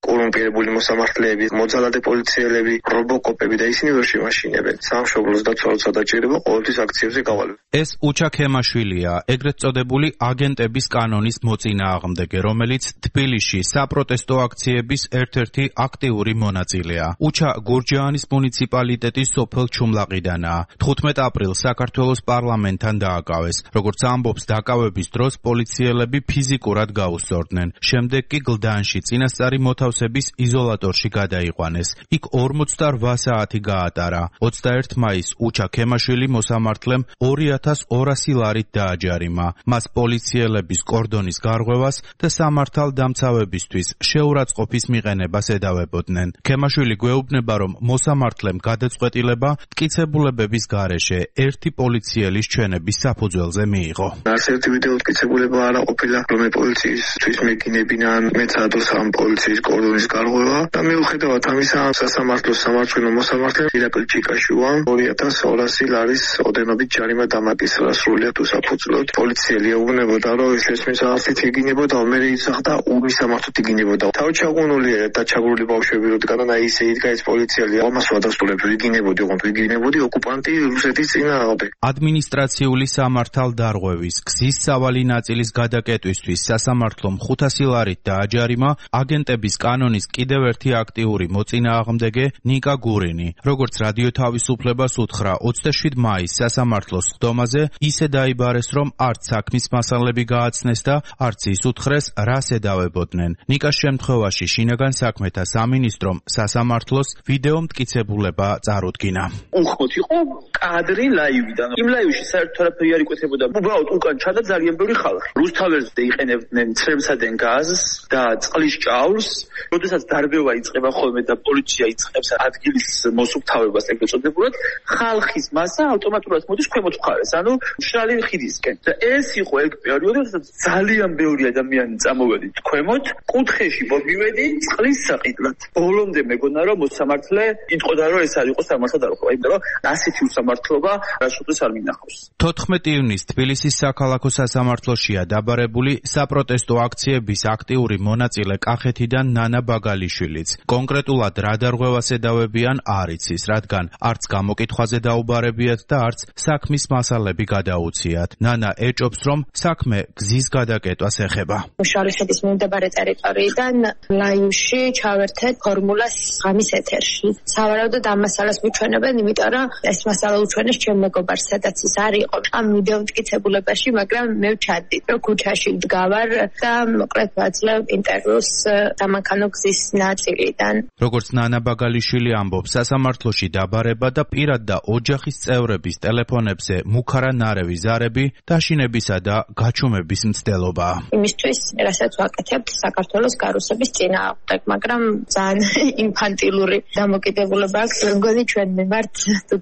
კორუმპირებული მოსამართლეები, მოძალადე პოლიციელები, რობოკოპები და ისინი ვერ შემაშინებენ. სამშობლოს დაცვა როცა დაჭირება, ყოველთვის აქციებზე გავალვენ.
ეს უჩა ქემაშვილია, ეგრეთ წოდებული აგენტების კანონის მოწინააღმდეგე, რომელიც თბილისში საპროტესტო აქციების ერთ-ერთი აქტიური მონაწილეა. უჩა გურჯაანის მუნიციპალიტეტის სოფელ ჩუმლაყიდანაა. თხუთმეტ აპრილს საქართველოს პარლამენტთან დააკავეს. როგორც ამბობს, დაკავების დროს პოლიციელები ფიზიკურად გაუსწორდნენ. შემდეგ კი გლდანში წინასწარი მოთავსების იზოლატორში გადაიყვანეს. იქ ორმოცდაოთხ საათი გაატარა. ოცდაერთი მაისს უჩა ქემაშვილი მოსამართლემ ორი ათას ორასი ლარით დააჯარიმა. მას პოლიციელების კორდონის გარღვევას და სამართალდამცავებისთვის შეურაცხყოფის მიყენებას ედავებოდნენ. ქემაშვილი გვეუბნება, რომ მოსამართლემ გადაწყვეტილება მტკიცებულებების გარეშე ერთი პოლიციელის ჩვენების საფუძველზე მიიღო.
არც ერთი ვიდეო მტკიცებულება არ ყოფილა, რომ პოლიციისთვის მეკინებინან, მეც ადოს ამ პოლიციის ორდენის გარღვევა და მიუხედავად ამისა სასამართლოს სამართლიანო მოსამართლე ირაკლი ჩიკაშუამ ორი ათას ორასი ლარის ოდენობით ჯარიმა დამაკისრა სრულიად უსაფუძვლოდ. პოლიციელი ეუბნებოდა, რომ შესმის არცით იგინებოდა, მე იცახდა უმისამართოდ იგინებოდა. თავი ჩაგუნული და ჩაგრული ბავშვები როდგან და ისე იდგა ეს პოლიციელი ამას ვადასტურებს ვიგინებოდი, ოღონდ ვიგინებოდი ოკუპანტი რუსეთის წინააღმდეგ.
ადმინისტრაციული სამართალდარღვევის გზის სავალი ნაწილის გადაკეტვისთვის სასამართლომ ხუთასი ლარით დააჯარიმა აგენტების კანონის კიდევ ერთი აქტიური მოწინააღმდეგე ნიკა გურინი. როგორც რადიო თავისუფლებას უთხრა ოცდაშვიდ მაისს სასამართლოს სხდომაზე, ისე დაიბარეს, რომ არც საქმის მასალები გააცნეს და არც ის უთხრეს, რას ედავებოდნენ. ნიკას შემთხვევაში შინაგან საქმეთა სამინისტრომ სასამართლოს ვიდეო მტკიცებულება წარუდგინა.
უხმოთ იყო კადრი ლაივიდან. იმ ლაივში საერთოდ არაფერი არ იკვეთებოდა. უბრალოდ უკან ჩადა ძალიან ბევრი ხალხი. რუსთაველზე იყენებდნენ ცრემსადენ გაზს და წყლის ჭაურს. როდესაც დარბევა იწყება ხოლმე და პოლიცია იწყებს ადგილის მოსუფთავებას ეგრეთ წოდებულად, ხალხის მასა ავტომატურად მოდის ქვემოთ მხარეს, ანუ მშრალი ხიდისკენ. და ეს იყო ეგ პერიოდი, როდესაც ძალიან ბევრი ადამიანი წამოვედით ქვემოთ, კუთხეში მოვივედი წყლის საყიდლად. ბოლომდე მეგონა რომ მოსამართლე იტყოდა რომ ეს არ იყო სამართალდარღვევა, იმიტომ რომ ასეთი უსამართლობა რაშოდეს არ მინახავს.
თოთხმეტი ივნისს თბილისის საქალაქო სასამართლოშია დაბარებული საპროტესტო აქციების აქტიური მონაწილე კახეთიდან ნანა ბაგალიშვილიც. კონკრეტულად რა დარღვევას ედავებიან არ იცის, რადგან არც გამოკითხვაზე დაუბარებიათ და არც საქმის მასალები გადაუციათ. ნანა ეჭობს, რომ საქმე გზის გადაკეტვას ეხება.
მშრალი ხიდის მიმდებარე ტერიტორიიდან ლაივში ჩავერთეთ ფორმულას ღამის ეთერში. სავარაუდოდ ამ მასალას მიჩვენებენ, იმიტომ რომ ეს მასალა უჩვენეს ჩემ მეგობარს, სადაც ის არ იყო. ამ ვიდეო მტკიცებულებაში, მაგრამ მე ვჩადდი, რომ ქუჩაში ვდგავარ და მოკლედ ვაძლევ ინტერვიუს დამანქანო გზის ნაწილიდან.
როგორც ნანა ბაგალიშვილი ამბობს, სასამართლოში დაბარება და პირად და ოჯახის წევრების ტელეფონებზე მუქარა ნარევი ზარები, დაშინებისა და გაჩუმების მცდელობაა.
იმისთვის, რასაც ვაკეთებთ საქართველოს გარუსების წინააღმდეგ, მაგრამ ძალიან ინფანტილური დამოკიდებულება აქვს, მგონი ჩვენ მიმართ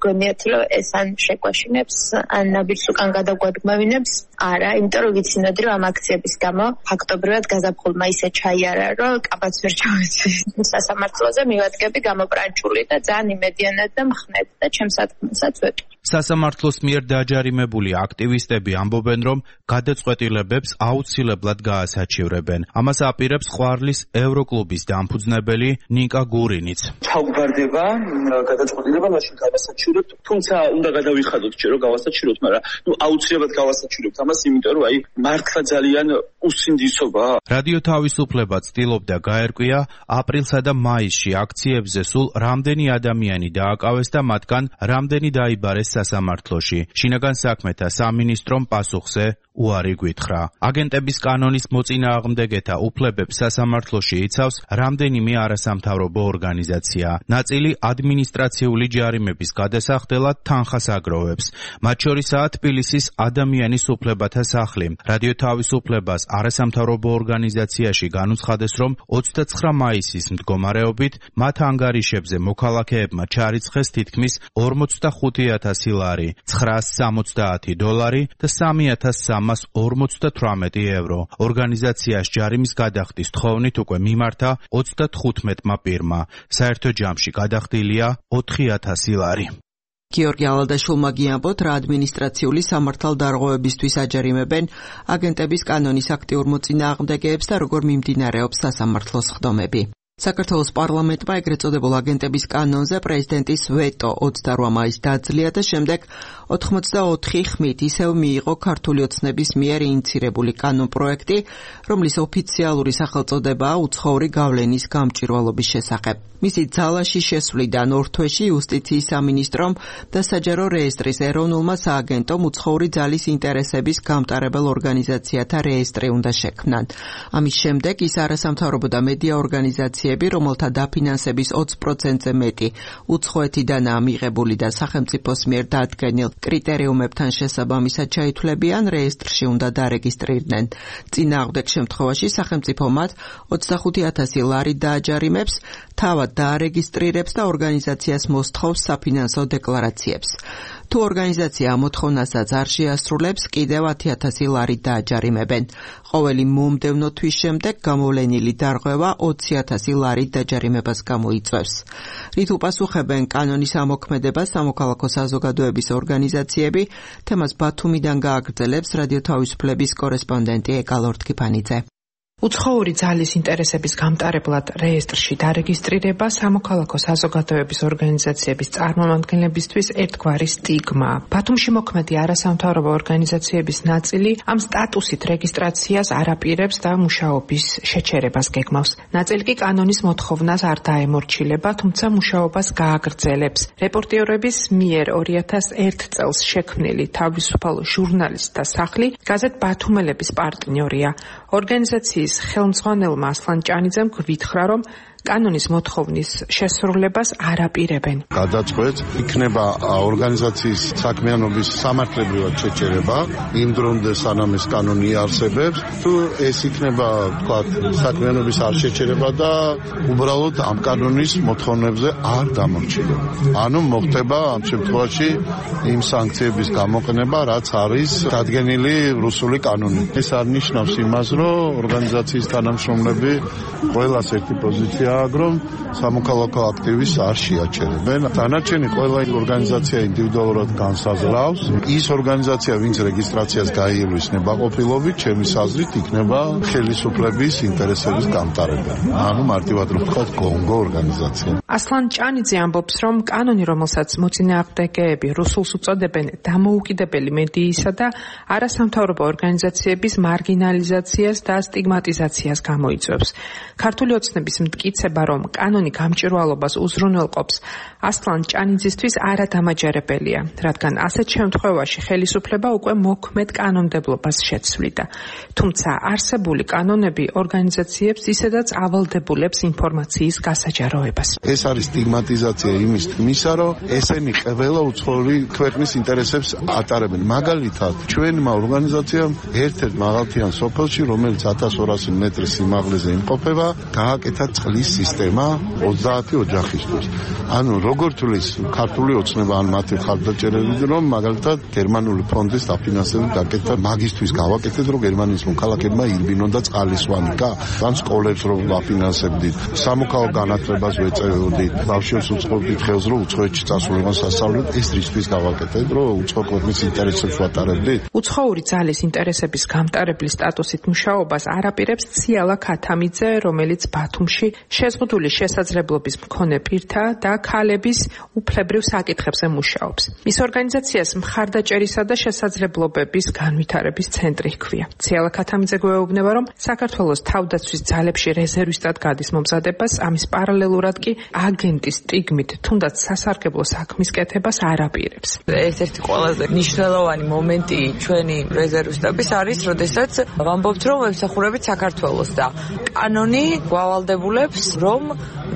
გონიათ, რომ ეს ან შეგვაშინებს, ან ნაბიჯს უკან გადაგვადგმევინებს. არა, იმიტომ რომ ვიცინოდი, რომ ამ აქციების გამო ფაქტობრივად გაზაფხულმა ისე ჩაიარა, რომ კაბაც ვერ ჩავეცი. სასამართლოზე მივადგები გამოპრანჭული და ძალიან იმედიანად და მხნედ და ჩემს საქმესაც ვეტყვი.
სასამართლოს მიერ დაჯარიმებული აქტივისტები ამბობენ, რომ გადაწყვეტილებებს აუცილებლად გაასაჩივრებენ. ამას აპირებს ყვარლის ევროკლუბის დამფუძნებელი ნიკა გურინიც.
ჩავგვარდება გადაწყვეტილება მაშინ გავასაჩივრებთ, თუმცა უნდა გადავიხადოთ ჯერ რომ გავასაჩივრებთ, მაგრამ ნუ აუცილებლად გავასაჩივრებთ ამას, იმიტომ რომ აი მართლა ძალიან უსინდისობა.
რადიო თავისუფლება ცდილობდა გაერკვია აპრილსა და მაისში აქციებზე სულ რამდენი ადამიანი დააკავეს და მათგან რამდენი დაიბარეს სასამართლოში. შინაგან საქმეთა სამინისტრომ პასუხზე უარი გვითხრა. აგენტების კანონის მოწინააღმდეგეთა უფლებებს სასამართლოში იცავს რამდენიმე არასამთავრობო ორგანიზაცია. ნაწილი ადმინისტრაციული ჯარიმების გადასახდელად თანხას აგროვებს. მათ შორისაა თბილისის ადამიანის უფლებათა სახლი. რადიო თავისუფლებას არასამთავრობო ორგანიზაციაში განუცხადეს, რომ ოცდაცხრა მაისის მდგომარეობით მათ ანგარიშებზე მოქალაქეებმა ჩარიცხეს თითქმის ორმოცდახუთი ათასი ლარი, ცხრაას სამოცდაათი დოლარი და სამი ათას სამას ორმოცდათვრამეტი ევრო. ორგანიზაციას ჯარიმის გადახდის თხოვნით უკვე მიმართა ოცდათხუთმეტმა პირმა. საერთო ჯამში გადახდილია ოთხი ათასი ლარი.
გიორგი ალადაშვილმა გიამბოთ, რა ადმინისტრაციული სამართალდარღვევებისთვის აჯარიმებენ აგენტების კანონის აქტიურ მოწინააღმდეგეებს და როგორ მიმდინარეობს სასამართლოს სხდომები. საქართველოს პარლამენტმა ეგრეთ წოდებულ აგენტების კანონზე პრეზიდენტის ვეტო ოცდარვა მაისს დაძლია და შემდეგ ოთხმოცდაოთხი ხმით ისევ მიიღო ქართული ოცნების მიერ ინიცირებული კანონპროექტი, რომლის ოფიციალური სახელწოდებაა უცხოური გავლენის გამჭვირვალობის შესახებ. მისი ძალაში შესვლიდან ორ თვეში იუსტიციის სამინისტრომ და საჯარო რეესტრის ეროვნულმა სააგენტომ უცხოური ძალის ინტერესების გამტარებელ ორგანიზაციათა რეესტრი უნდა შექმნან. ამის შემდეგ ის არასამთავრობო და მედია ორგანიზაციები, რომელთა დაფინანსების ოცი პროცენტზე მეტი უცხოეთიდანაა მიღებული და სახელმწიფოს მიერ დადგენილ კრიტერიუმებთან შესაბამისად ჩაითვლებიან, რეესტრში უნდა დარეგისტრირდნენ. წინააღმდეგ შემთხვევაში სახელმწიფო მათ ოცდახუთი ათასი ლარი დააჯარიმებს, თავად დაარეგისტრირებს და ორგანიზაციას მოსთხოვს საფინანსო დეკლარაციებს. თუ ორგანიზაცია მოთხოვნასაც არ შეასრულებს, კიდევ ათი ათასი ლარი დააჯარიმებენ. ყოველი მომდევნო თვის შემდეგ გამოვლენილი დარღვევა ოცი ათასი ლარით დაჯარიმებას გამოიწვევს. რით უპასუხებენ კანონის ამოქმედება სამოქალაქო საზოგადოების ორგანიზაციები, თემას ბათუმიდან გააგრძელებს რადიო თავისუფლების კორესპონდენტი ეკალორთ კიფანიძე.
უცხოური ძალის ინტერესების გამტარებლად რეესტრში დარეგისტრირება სამოქალაქო საზოგადოების ორგანიზაციების წარმომადგენლებისთვის ერთგვარი სტიგმა. ბათუმში მოქმედი არასამთავრობო ორგანიზაციების ნაწილი ამ სტატუსით რეგისტრაციას არ აპირებს და მუშაობის შეჩერებას გეგმავს. ნაწილი კი კანონის მოთხოვნას არ დაემორჩილება, თუმცა მუშაობას გააგრძელებს. რეპორტიორების მიერ ორი ათას ერთ წელს შექმნილი თავისუფალ ჟურნალისტთა სახლი გაზეთ ბათუმელების პარტნიორია. ორგანიზაციის ხელმძღვანელმა ასლან ჭანიძემ გვითხრა, რომ კანონის მოთხოვნის შესრულებას არ აპირებენ.
გადაწყვეტ იქნება ორგანიზაციის საქმიანობის სამართლებრივად შეჩერება იმ დრომდე სანამ ეს კანონი არსებობს. თუ ეს იქნება, თქვა, საქმიანობის არ შეჩერება და უბრალოდ ამ კანონის მოთხოვნებზე არ დამორჩილება. ანუ მოხდება ამ შემთხვევაში იმ სანქციების გამოყენება, რაც არის დადგენილი რუსული კანონით. ეს არ ნიშნავს იმას, რომ ორგანიზაციის თანამშრომლები ყველას ერთი პოზიცია რომ სამოქალაქო აქტივისტს არ შეაჩერებენ. დანარჩენი ყველა ორგანიზაცია ინდივიდუალურად განსაზღვრავს. ის ორგანიზაცია, ვინც რეგისტრაციას გაიელვის ნებაყოფილობით, ჩემის აზრით იქნება ხელისუფლების ინტერესების გამტარებელი. ანუ მარტივად რომ ვთქვათ, გონგო ორგანიზაცია.
ასლან ჭანიძე ამბობს, რომ კანონი, რომელსაც მოწინააღმდეგეები რუსულს უწოდებენ დამოუკიდებელი მედიისა და არასამთავრობო ორგანიზაციების მარგინალიზაციას და სტიგმატიზაციას გამოიწვევს. ქართული ოცნების მტკიცება, რომ კანონი გამჭვირვალობას უზრუნველყოფს, ასლან ჭანიძისთვის არადამაჯერებელია, რადგან ასეთ შემთხვევაში ხელისუფლება უკვე მოქმედ კანონმდებლობას შეცვლიდა. თუმცა არსებული კანონები ორგანიზაციებს ისედაც ავალდებულებს ინფორმაციის გასაჯაროებას.
ეს არის სტიგმატიზაცია იმის თქმისა, რომ ესენი ყველა უცხოური ქვეყნის ინტერესებს ატარებენ. მაგალითად, ჩვენმა ორგანიზაციამ ერთ-ერთ მაღალმთიან სოფელში, რომელიც ათას ორასი მეტრის სიმაღლეზე იმყოფება, გააკეთა წყლის სისტემა ოცდაათი ოჯახისთვის. ანუ როგორ თulis ქართული ოცნება ან მათი ხალხდაჭერები, რომ მაგალითად გერმანული ფონდის დაფინანსებით გაკეთა მაგისტვის გავაკეთეთ, რომ გერმანიის მოქალაქეებმა ირბინონ და წყალისვანი გა, ან სკოლებს რომ ვაფინანსებდით, სამოქალაქო განათლებას ვეწევოდით, ბავშვებს უწყობდით ხელს, რომ უცხოეთში წასულიყონ სასწავლებლად, ეს რისთვის გავაკეთეთ, რომ უცხო ქვეყნის ინტერესებს ვატარებდით.
უცხოური ძალის ინტერესების გამტარებლის სტატუსით მუშაობას არ აპირებს ციალა ქათამიძე, რომელიც ბათუმში შეზღუდული შესაძლებლობის მქონე პირთა და ქალების უფლებრივ საკითხებზე მუშაობს. მის ორგანიზაციას მხარდაჭერისა და შესაძლებლობების განვითარების ცენტრი ჰქვია. ციალა ქათამიძე გვეუბნება, რომ საქართველოს თავდაცვის ძალებში რეზერვისტად გადის მომზადებას, ამის პარალელურად კი აგენტის სტიგმით თუნდაც სასარგებლო საქმის კეთებას არ აპირებს.
ერთ-ერთი ყველაზე მნიშვნელოვანი მომენტი ჩვენი რეზერვისტების არის, როდესაც ვამბობთ, რომ ვემსახურებით საქართველოს და კანონი გვავალდებულებს, რომ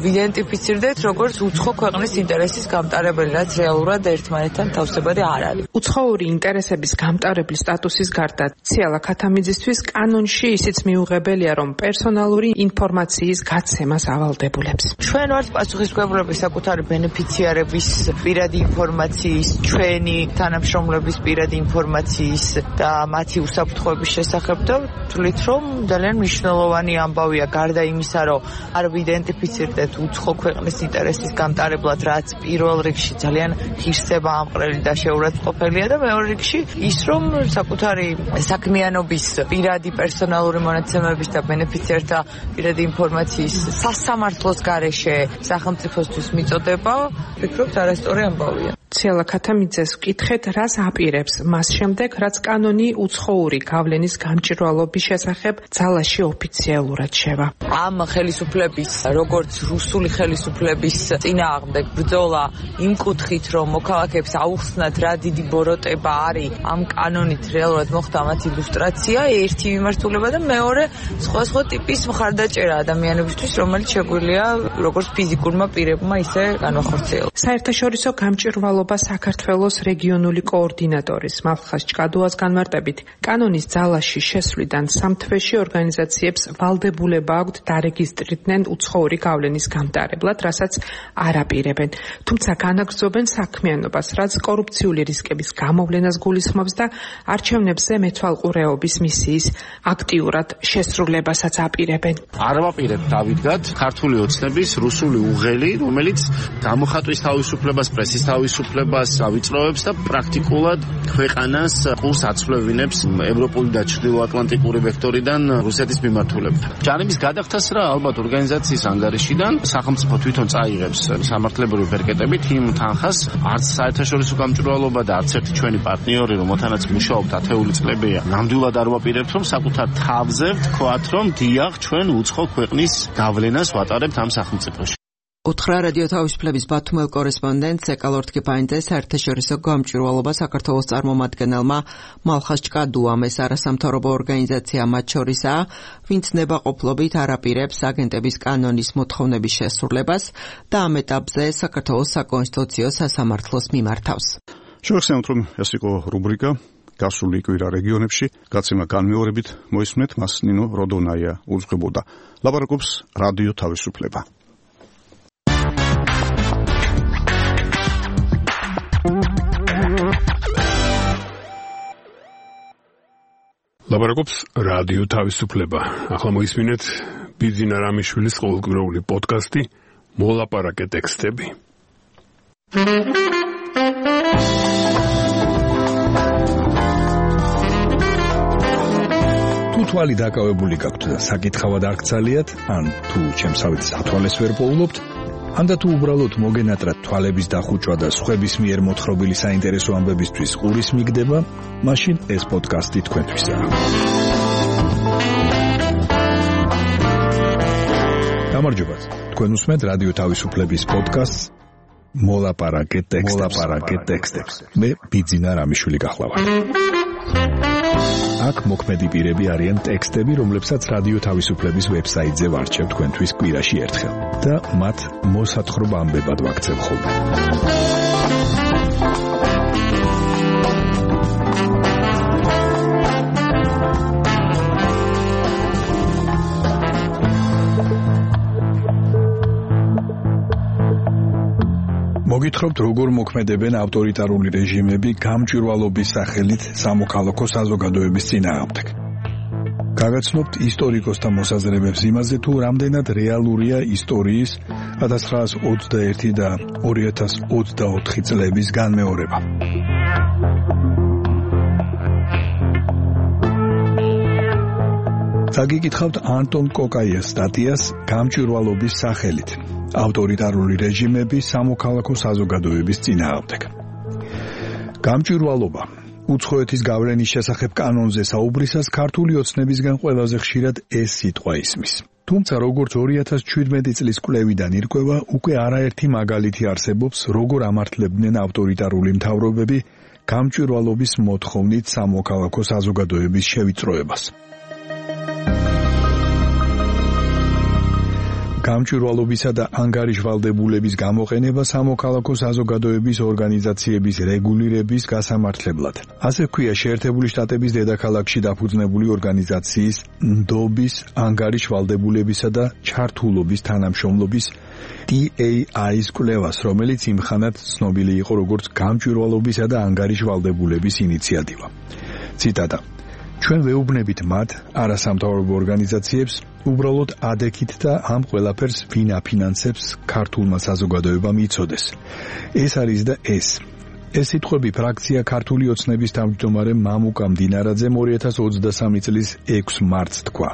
ვიდენტიფიცირდეთ როგორც უცხო ქვეყნის ინტერესის გამტარებელი, რაც რეალურად ერთმანეთთან თავსებადი არ არის.
უცხოური ინტერესების გამტარებლის სტატუსის გარდა ციალა ქათამიძისთვის კანონში ისიც მიუღებელია, რომ პერსონალური ინფორმაციის გაცემას ავალდებულებს.
ჩვენ ვართ პასუხისმგებლები საკუთარი ბენეფიციარების პირადი ინფორმაციის, ჩვენი თანამშრომლების პირადი ინფორმაციის და მათი უსაფრთხოების შესახებ და თვლით, რომ ძალიან მნიშვნელოვანი ამბავია გარდა იმისა, რომ არ ვიდენტიფიცირდეთ უცხო ქვეყნის ინტერესის გამტარებლად, რაც პირველ რიგში ძალიან ღირსება ამყრელი და შეურაცხყოფელია და მეორე რიგში ის, რომ საკუთარი საქმიანობის პირადი პერსონალური მონაცემების და ბენეფიციართა პირადი ინფორმაციის სასამართლოს გარეშე სახელმწიფოსთვის მიწოდება, ვფიქრობთ, არასწორი ამბავია.
ციალა ქათამიძეს ვკითხეთ, რას აპირებს მას შემდეგ, რაც კანონი უცხოური გავლენის გამჭვირვალობის შესახებ ძალაში ოფიციალურად შევა.
ამ ხელისუფლების, როგორც რუსული ხელისუფლების წინააღმდეგ ბრძოლა იმ კუთხით, რომ მოქალაქეებს აუხსნათ, რა დიდი ბოროტება არის ამ კანონით რეალურად მოხდა მათი ილუსტრაცია, ერთი მიმართულება და მეორე სხვადასხვა ტიპის მხარდაჭერა ადამიანებისთვის, რომელიც შეგვიძლია როგორც ფიზიკურმა პირებმა, ისე განვახორციელოს.
საერთაშორისო გამჭვირვალობა საქართველოს რეგიონული კოორდინატორის მალხას ჭკადუას განმარტებით, კანონის ძალაში შესვლიდან სამ თვეში ორგანიზაციებს ვალდებულება აქვთ დარეგისტრირდნენ უცხოური გავლენის გამტარებლად, რასაც არ აპირებენ. თუმცა განაგრძობენ საქმიანობას, რაც კორუფციული რისკების გამოვლენას გულისხმობს და არჩევნებზე მეთვალყურეობის მისიის აქტიურად შესრულებასაც აპირებენ.
არ ვაპირებთ დავიდგათ ქართული ოცნების რუსული უღელი, რომელიც გამოხატვის თავისუფლებას, პრესის თავისუფლებას ავიწროვებს და პრაქტიკულად ქვეყანას ყურს აცვლევინებს ევროპული და ჩრდილოატლანტიკური ვექტორიდან რუსეთის მიმართულებით. ჯარების გადახდას რა ალბათ ორგანიზაციის ანგარიშიდან სახელმწიფო თვითონ წაიღებს სამართლებრივი პერკეტებით იმ თანხას, არც საერთაშორისო გამჭვირვალობა და არც ერთი ჩვენი პარტნიორი, რომელთანაც მუშაობთ ათეული წლებია, ნამდვილად არ ვაპირებთ, რომ საკუთარ თავზე ვთქვათ, რომ დიახ, ჩვენ უცხო ქვეყნის გავლენას ვატარებთ ამ სახელმწიფოში.
უთხრა რადიო თავისუფლების ბათუმელ კორესპონდენტს ეკალორთკიპაინძე საერთაშორისო გამჭვირვალობა საქართველოს წარმომადგენელმა მალხაზ ჭკადუამ. ეს არასამთავრობო ორგანიზაცია მათ შორისაა, ვინც ნებაყოფლობით არ აპირებს აგენტების კანონის მოთხოვნების შესრულებას და ამ ეტაპზე საქართველოს საკონსტიტუციო სასამართლოს მიმართავს.
შევახსენოთ, რომ ეს იყო რუბრიკა გასული კვირა რეგიონებში, გაცემა განმეორებით მოისმენთ, მას ნინო როდონაია უძღვებოდა. ლაპარაკობს რადიო თავისუფლება.
ლაპარაკობს რადიო თავისუფლება. ახლა მოისმინეთ ბიძინა რამიშვილის ყოველკვირეული პოდკასტი მოლაპარაკე ტექსტები.
თუ თვალი დაკავებული გაქვთ და საკითხავად არ გცალიათ, ან თუ ჩემსავით ათვალეს ვერ პოულობთ, ანდა თუ უბრალოდ მოგენატრათ თვალების დახუჭვა და სხვების მიერ მოთხრობილი საინტერესო ამბებისთვის ყურის მიგდება, მაშინ ეს პოდკასტი თქვენთვისაა. გამარჯობათ. თქვენ უსმენთ რადიო თავისუფლების პოდკასტს მოლაპარაკე ტექსტებს. მე ბიძინა რამიშვილი გახლავართ. აქ მოქმედი პირები არიან ტექსტები, რომლებსაც რადიო თავისუფლების ვებსაიტზე ვარჩევ თქვენთვის კვირაში ერთხელ და მათ მოსათხრობ ამბებად ვაქცევ ხოლმე. მოგითხრობთ, როგორ მოქმედებენ ავტორიტარული რეჟიმები გამჭვირვალობის სახელით სამოქალაქო საზოგადოების წინააღმდეგ. გაგაცნობთ ისტორიკოსთა მოსაზრებებს იმაზე, თუ რამდენად რეალურია ისტორიის ათას ცხრაასი ოცდაერთი და ორი ათას ოცდაოთხი წლების განმეორება. გაგიკითხავთ ანტონ კოკაიას სტატიას გამჭვირვალობის სახელით. ავტორიტარული რეჟიმები სამოქალაქო საზოგადოების წინააღმდეგ. გამჭვირვალობა უცხოეთის გავლენის შესახებ კანონზე საუბრისას ქართული ოცნებისგან ყველაზე ხშირად ეს სიტყვა ისმის. თუმცა როგორც ორი ათას ჩვიდმეტი წლის კვლევიდან ირკვევა, უკვე არაერთი მაგალითი არსებობს, როგორ ამართლებდნენ ავტორიტარული მთავრობები გამჭვირვალობის მოთხოვნით სამოქალაქო საზოგადოების შევიწროებას. გამჭვირვალობისა და ანგარიშვალდებულების გამოყენება სამოქალაქო საზოგადოების ორგანიზაციების რეგულირების გასამართლებლად. ასე ვქვია შეერთებული შტატების დედაქალაქში დაფუძნებული ორგანიზაციის ნდობის ანგარიშვალდებულებისა და ჩართულობის თანამშრომლობის დი ეი აის კვლევას, რომელიც იმხანად ცნობილი იყო როგორც გამჭვირვალობისა და ანგარიშვალდებულების ინიციატივა. ციტატა: ჩვენ ვეუბნებით მათ არასამთავრობო ორგანიზაციებს უბრალოდ ადექით და ამ ყველაფერს ვინ აფინანსებს ქართულმა საზოგადოებამ იცოდეს. ეს არის და ეს. ეს სიტყვები ფრაქცია ქართული ოცნების თავმჯდომარე მამუკა მდინარაძემ ორი ათას ოცდასამი წლის ექვსი მარტს თქვა,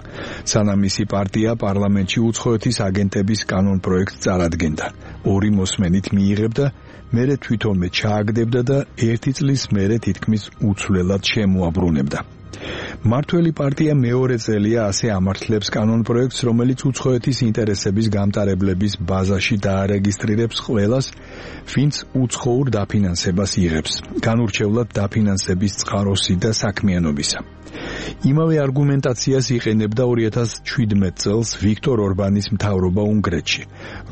სანამ მისი პარტია პარლამენტში უცხოეთის აგენტების კანონ პროექტს წარადგენდა. ორი მოსმენით მიიღებდა, მერე თვითონმე ჩააგდებდა და ერთი წლის მერე თითქმის უცვლელად შემოაბრუნებდა. მართველი პარტია მეორე წელია ასე ამართლებს კანონ პროექტს, რომელიც უცხოეთის ინტერესების გამტარებლების ბაზაში დაარეგისტრირებს ყველას, ვინც უცხოურ დაფინანსებას იღებს, განურჩევლად დაფინანსების წყაროსი და საქმიანობისა. იმავე არგუმენტაციას იყენებდა ორი ათას შვიდმეტ წელს ვიქტორ ორბანის მთავრობა უნგრეთში,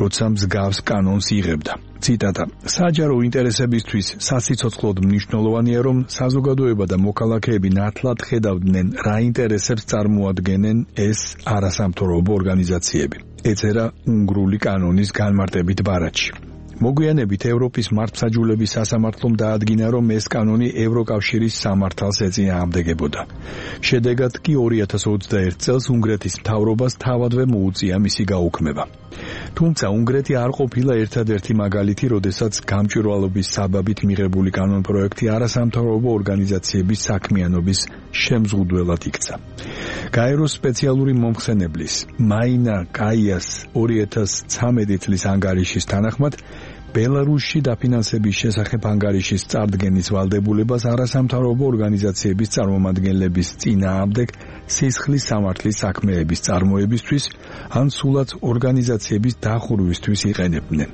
როცა მსგავს კანონს იღებდა. ციტატა: საჯარო ინტერესებისთვის სასიცოცხლოდ მნიშვნელოვანია, რომ საზოგადოება და მოქალაქეები ნათლად ხედავდნენ, რა ინტერესებს წარმოადგენენ ეს არასამთავრობო ორგანიზაციები. ეწერა უნგრული კანონის განმარტებით ბარათში. მოგვიანებით ევროპის მართლმსაჯულების სასამართლომ დაადგინა, რომ ეს კანონი ევროკავშირის სამართალს ეწინააღმდეგებოდა. შედეგად კი ორი ათას ოცდაერთ წელს უნგრეთის მთავრობას თავადვე მოუწია მისი გაუქმება. თუმცა უნგრეთი არ ყოფილა ერთადერთი მაგალითი, როდესაც გამჭვირვალობის საბაბით მიღებული კანონპროექტი არასამთავრობო ორგანიზაციების საქმიანობის შემზღუდველად იქცა. გაეროს სპეციალური მომხსენებლის მაინა კაიას ორი ათას ცამეტი წლის ანგარიშის თანახმად ბელარუსში დაფინანსების შესახებ ანგარიშის წარდგენის ვალდებულებას არასამთავრობო ორგანიზაციების წარმომადგენლების წინააღმდეგ სისხლის სამართლის საქმეების წარმოებისთვის ან სულაც ორგანიზაციების დახურვისთვის იყენებდნენ.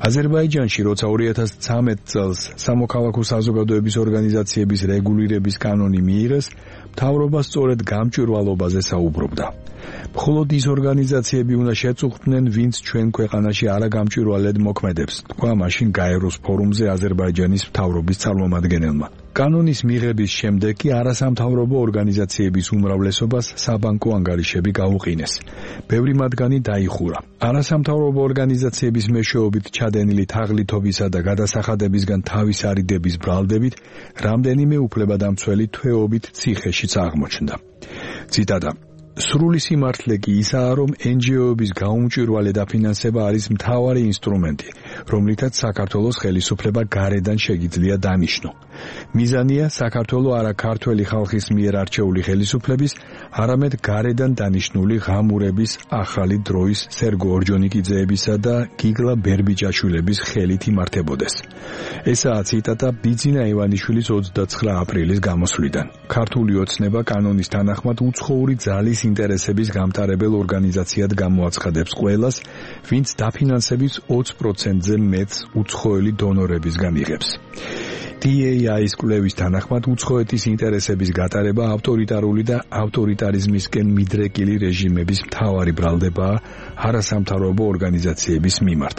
აზერბაიჯანში, როცა ორი ათას ცამეტ წელს სამოქალაქო საზოგადოების ორგანიზაციების რეგულირების კანონი მიიღეს, მთავრობა სწორედ გამჭვირვალობაზე საუბრობდა. მხოლოდ ის ორგანიზაციები უნდა შეწუხდნენ, ვინც ჩვენ ქვეყანაში არაგამჭვირვალედ მოქმედებს, თქვა მაშინ გაეროს ფორუმზე აზერბაიჯანის მთავრობის წარმომადგენელმა. კანონის მიღების შემდეგ კი არასამთავრობო ორგანიზაციების უმრავლესობას საბანკო ანგარიშები გაუყინეს. ბევრი მათგანი დაიხურა. არასამთავრობო ორგანიზაციების მეშვეობით ჩადენილი თაღლითობისა და გადასახადებისგან თავის არიდების ბრალდებით რამდენიმე უფლებადამცველი თვეობით ციხეშიც აღმოჩნდა. ციტატა: სრული სიმართლე კი ისაა, რომ εν ჯი ო-ების გაუმჭვირვალე დაფინანსება არის მთავარი ინსტრუმენტი, რომლითაც საქართველოს ხელისუფლება გარედან შეგიძლია დანიშნო. მიზანია საქართველო არა ქართველი ხალხის მიერ არჩეული ხელისუფლების, არამედ გარედან დანიშნული ღამურების ახალი დროის სერგო ორჯონიკიძეებისა და გიგლა ბერბიჭაშვილების ხელით იმართებოდეს. ესაა ციტატა ბიძინა ივანიშვილის ოცდაცხრა აპრილის გამოსვლიდან. ქართული ოცნება კანონის თანახმად უცხოური ძალის ინტერესების გამტარებელ ორგანიზაციად გამოაცხადებს ყველას, ვინც დაფინანსების ოცი პროცენტზე მეტს უცხოელი დონორებისგან იღებს. დი ეი აის კვლევის თანახმად უცხოეთის ინტერესების გატარება ავტორიტარული და ავტორიტარიზმისკენ მიდრეკილი რეჟიმების მთავარი ბრალდებაა არასამთავრობო ორგანიზაციების მიმართ,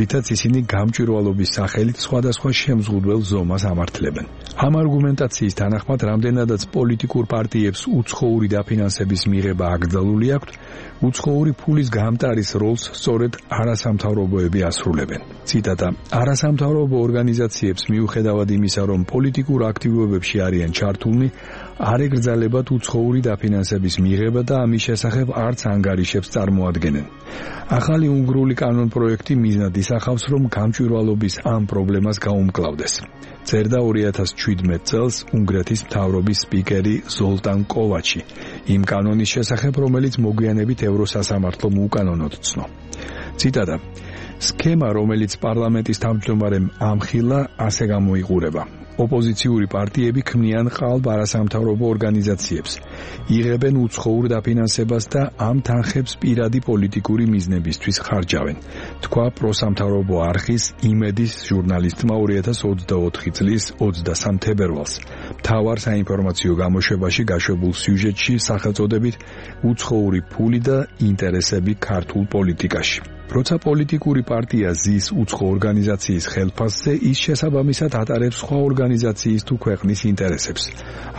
რითაც ისინი გამჭვირვალობის სახელით სხვადასხვა შემზღუდველ ზომას ამართლებენ. ამ არგუმენტაციის თანახმად, რამდენადაც პოლიტიკურ პარტიებს უცხოური დაფინანსების მიღება აკრძალული აქვთ, უცხოური ფულის გამტარის როლს სწორედ არასამთავრობოები ასრულებენ. ციტატა: არასამთავრობო ორგანიზაციებს მიუხედავად იმისა, რომ პოლიტიკურ აქტივობებში არიან ჩართულნი, არ ეკრძალებათ უცხოური დაფინანსების მიღება და ამის შესახებ არც ანგარიშებს წარმოადგენენ. ახალი უნგრული კანონპროექტი მიზნად ისახავს, რომ გამჭვირვალობის ამ პრობლემას გაუმკლავდეს. წერდა ორი ათას შვიდმეტ წელს უნგრეთის მთავრობის სპიკერი ზოლტან კოვაჩი, იმ კანონის შესახებ, რომელიც მოგვიანებით ევროსასამართლომ უკანონოდ ცნო. ციტატა: სქემა, რომელიც პარლამენტის თავმჯდომარემ ამხილა, ასე გამოიყურება. ოპოზიციური პარტიები ქმნიან ყალბ არასამთავრობო ორგანიზაციებს, იღებენ უცხოურ დაფინანსებას და ამ თანხებს პირადი პოლიტიკური მიზნებისთვის ხარჯავენ, თქვა პროსამთავრობო არხის იმედის ჟურნალისტმა ორი ათას ოცდაოთხი წლის ოცდასამ თებერვალს მთავარ საინფორმაციო გამოშვებაში გაშვებულ სიუჟეტში სახელწოდებით უცხოური ფული და ინტერესები ქართულ პოლიტიკაში. როცა პოლიტიკური პარტია ზის უცხო ორგანიზაციის ხელფასზე, ის შესაბამისად ატარებს სხვა ორგანიზაციის თუ ქვეყნის ინტერესებს.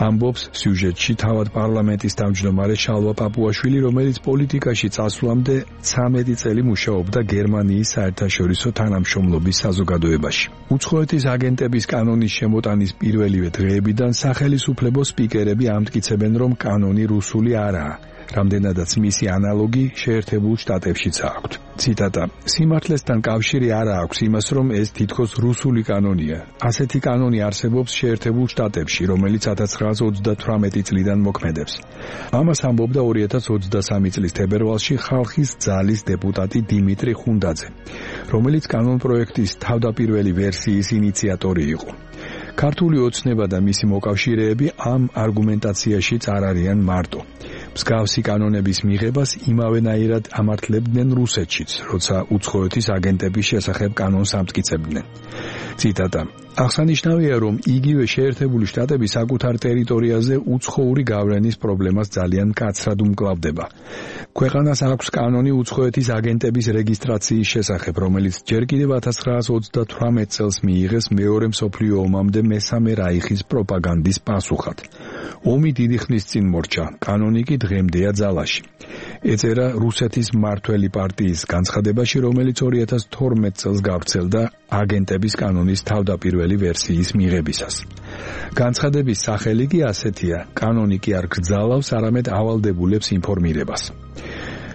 ამბობს სიუჟეტში თავად პარლამენტის თავმჯდომარე შალვა პაპუაშვილი, რომელიც პოლიტიკაში წასვლამდე ცამეტი წელი მუშაობდა გერმანიის საერთაშორისო თანამშრომლობის საზოგადოებაში. უცხოეთის აგენტების კანონის შემოტანის პირველივე დღეებიდან სახელისუფლებო სპიკერები ამტკიცებენ, რომ კანონი რუსული არაა, რამდენადაც მისი ანალოგი შეერთებულ შტატებშიც აქვთ. ციტატა: სიმართლესთან კავშირი არ აქვს იმას, რომ ეს თითქოს რუსული კანონია. ასეთი კანონი არსებობს შეერთებულ შტატებში, რომელიც ათას ცხრაასა ოცდათვრამეტი წლიდან მოქმედებს. ამას ამბობდა ორი ათას ოცდასამი წლის თებერვალში ხალხის ძალის დეპუტატი დიმიტრი ხუნდაძე, რომელიც კანონპროექტის თავდაპირველი ვერსიის ინიციატორი იყო. ქართული ოცნება და მისი მოკავშირეები ამ არგუმენტაციაშიც არ არიან მარტო. მსგავსი კანონების მიღებას იმავენაირად ამართლებდნენ რუსეთშიც, როცა უცხოეთის აგენტების შესახებ კანონს ამტკიცებდნენ. ციტატა: აღსანიშნავია, რომ იგივე შეერთებული შტატები საკუთარ ტერიტორიაზე უცხოური გავლენის პრობლემას ძალიან მკაცრად უმკლავდება. ქვეყანას აქვს კანონი უცხოეთის აგენტების რეგისტრაციის შესახებ, რომელიც ჯერ კიდევ ათას ცხრაასი ოცდათვრამეტ წელს მიიღეს მეორე მსოფლიო ომამდე მესამე რაიხის პროპაგანდის პასუხად. ომი დიდი ხნის წინ მორჩა, კანონი კი დღემდეა ძალაში. ეწერა რუსეთის მმართველი პარტიის განცხადებაში, რომელიც ორი ათას თორმეტ წელს გავრცელდა აგენტების კანონის თავდაპირველი ვერსიის მიღებისას. განცხადების სახელი კი ასეთია: კანონი კი არ გრძალავს, არამედ ავალდებულებს ინფორმირებას.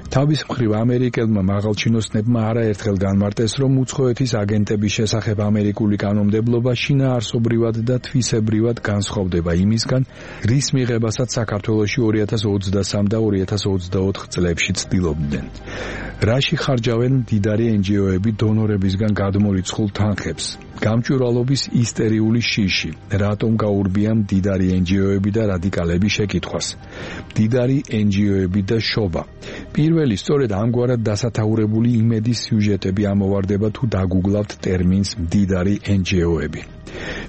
თავის მხრივ ამერიკელმა მაღალჩინოსნებმა არაერთხელ განმარტეს, რომ უცხოეთის აგენტების შესახებ ამერიკული კანონმდებლობა შინაარსობრივად და თვისებრივად განსხვავდება იმისგან, რის მიღებასაც საქართველოში ორი ათას ოცდასამ და ორი ათას ოცდაოთხ წლებში ცდილობდნენ. რაში ხარჯავენ მდიდარი ენჯიოები დონორებისგან გადმორიცხულ თანხებს? გამჭვირვალობის ისტერიული შიში, რატომ გაურბია მდიდარი ენჯიოები და რადიკალები შეკითხვას? მდიდარი ენჯიოები და შობა. პირველი სწორედ ამგვარად დასათაურებული იმედის სიუჟეტები ამოვარდება თუ დაგუგლავთ ტერმინს მდიდარი ენჯიოები.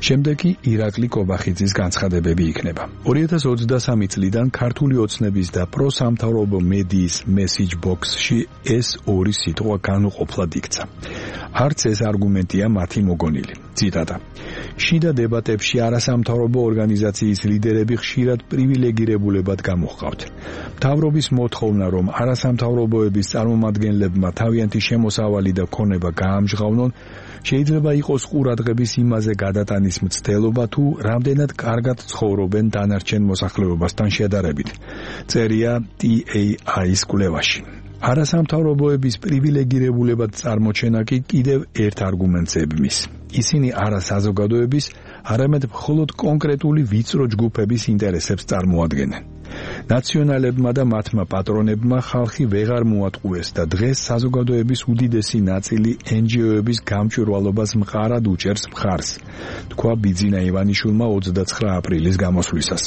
შემდეგი ირაკლი კობახიძის განცხადებები იქნება. ორი ათას ოცდასამი წლიდან ქართული ოცნების და პროსამთავრობო მედიის მესიჯ ბოქსში ეს ორი სიტყვა განუყოფლად იქცა. არც ეს არგუმენტია მათი მოგონილი. ციტატა: შიდა დებატებში არასამთავრობო ორგანიზაციის ლიდერები ხშირად პრივილეგირებულებად გამოჰყავთ. მთავრობის მოთხოვნა, რომ არასამთავრობოების წარმომადგენლებმა თავიანთი შემოსავალი და ქონება გაამჟღავნონ, შეიძლება იყოს ყურადღების იმაზე გადატანის მცდელობა, თუ რამდენად კარგად ცხოვრობენ დანარჩენ მოსახლეობასთან შედარებით. წერია ტი ეი აის კვლევაში. არასამთავრობოების პრივილეგირებულებად წარმოჩენა კი კიდევ ერთ არგუმენტს ებმის. ისინი არა საზოგადოების, არამედ მხოლოდ კონკრეტული ვიწრო ჯგუფების ინტერესებს წარმოადგენენ. ნაციონალებმა და მათმა პატრონებმა ხალხი ვეღარ მოატყუეს და დღეს საზოგადოების უდიდესი ნაწილი ენჯიოების გამჭვირვალობას მყარად უჭერს მხარს, თქვა ბიძინა ივანიშვილმა ოცდაცხრა აპრილის გამოსვლისას.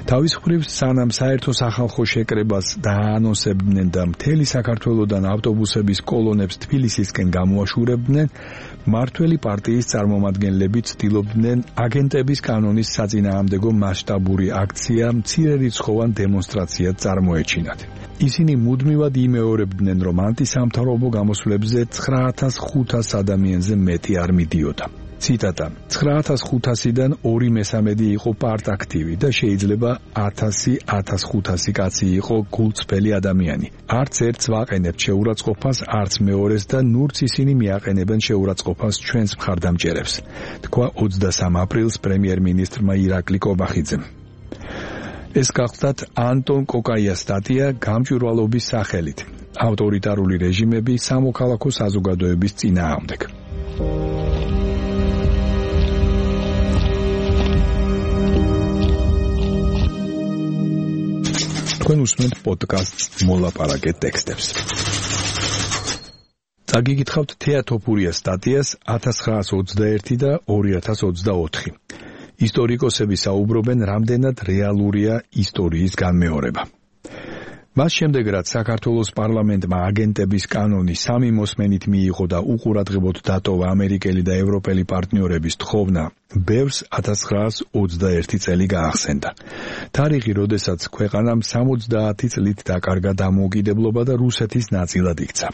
თავის მხრივ, სანამ საერთო სახალხო შეკრებას დააანონსებდნენ და მთელი საქართველოდან ავტობუსების კოლონებს თბილისისკენ გამოაშურებდნენ, მმართველი პარტიის წარმომადგენლები ცდილობდნენ აგენტების კანონის საწინააღმდეგო მასშტაბური აქცია მცირერიცხოვან დემონსტრაციად წარმოეჩინათ. ისინი მუდმივად იმეორებდნენ, რომ ანტისამთავრობო გამოსვლებზე ცხრა ათას ხუთას ადამიანზე მეტი არ მიდიოდა. ციტატა: ცხრა ათას ხუთასიდან ორი მესამედი იყო პარტაქტივი და შეიძლება ათასი ათას ხუთასი კაცი იყო გულწრფელი ადამიანი. არც ერთს ვაყენებთ შეურაცხყოფას, არც მეორეს და ნურც ისინი მიაყენებენ შეურაცხყოფას ჩვენს მხარდამჭერებს, თქვა ოცდასამ აპრილს პრემიერ-მინისტრმა ირაკლი კობახიძემ. ეს გახლდათ ანტონ კოკაიას სტატია გამჭვირვალობის სახელით: ავტორიტარული რეჟიმები სამოქალაქო საზოგადოების წინააღმდეგ. თქვენ უსმენთ პოდკასტს მოლაპარაკე ტექსტებს. წაგიგითხავთ თეატოფურიას სტატიას ათას ცხრაასი ოცდაერთი და ორი ათას ოცდაოთხი. ისტორიკოსები საუბრობენ, რამდენად რეალურია ისტორიის განმეორება. მას შემდეგ, რაც საქართველოს პარლამენტმა აგენტების კანონი სამი მოსმენით მიიღო და უყურადღებოდ დატოვა ამერიკელი და ევროპელი პარტნიორების თხოვნა, ბევრს ათას ცხრაასი ოცდაერთი წელი გაახსენდა. თარიღი, როდესაც ქვეყანამ სამოცდაათი წლით დაკარგა დამოუკიდებლობა და რუსეთის ნაწილად იქცა.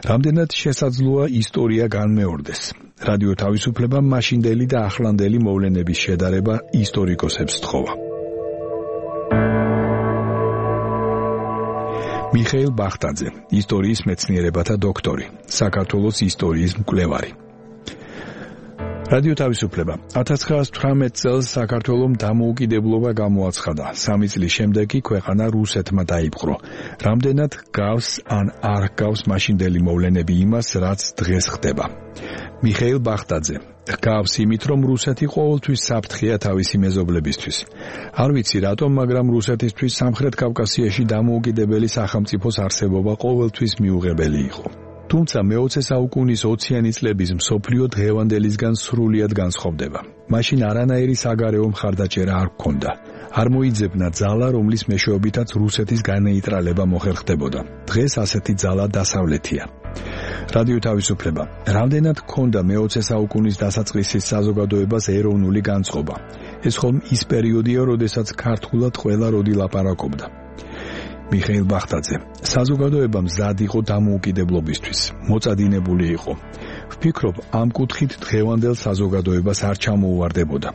რამდენად შესაძლოა ისტორია განმეორდეს. რადიო თავისუფლებამ მაშინდელი და ახლანდელი მოვლენების შედარება ისტორიკოსებს სთხოვა. მიხეილ ბახტაძე, ისტორიის მეცნიერებათა დოქტორი, საქართველოს ისტორიის მკვლევარი. რადიო თავისუფლება ათას ცხრაასი თვრამეტ წელს საქართველომ დამოუკიდებლობა გამოაცხადა. სამი წლის შემდეგ კი ქვეყანა რუსეთმა დაიპყრო. რამდენად გავს ან არ გავს მაშინდელი მოვლენები იმას, რაც დღეს ხდება. მიხეილ ბახტაძე: გავს იმით, რომ რუსეთი ყოველთვის საფრთხეა თავისი მეზობლებისთვის. არ ვიცი რატომ, მაგრამ რუსეთისთვის სამხრეთ კავკასიაში დამოუკიდებელი სახელმწიფოს არსებობა ყოველთვის მიუღებელი იყო. თუმცა მეოცე საუკუნის ოციანი წლების მსოფლიო დღევანდელისგან სრულიად განსხვავდება. მაშინ არანაირი საგარეო მხარდაჭერა არ ჰქონდა. არ მოიძებნა ძალა, რომლის მეშვეობითაც რუსეთის განეიტრალება მოხერხდებოდა. დღეს ასეთი ძალა დასავლეთია. რადიო თავისუფლება. რამდენად ჰქონდა მეოცე საუკუნის დასაწყისის საზოგადოებას ეროვნული განწყობა. ეს ხომ ის პერიოდია, როდესაც ქართულად ყველა როდი ლაპარაკობდა. მიხეილ ბახტაძე. საზოგადოება მზად იყო დამოუკიდებლობისთვის, მოწადინებული იყო. ვფიქრობ, ამ კუთხით დღევანდელ საზოგადოებას არ ჩამოუვარდებოდა.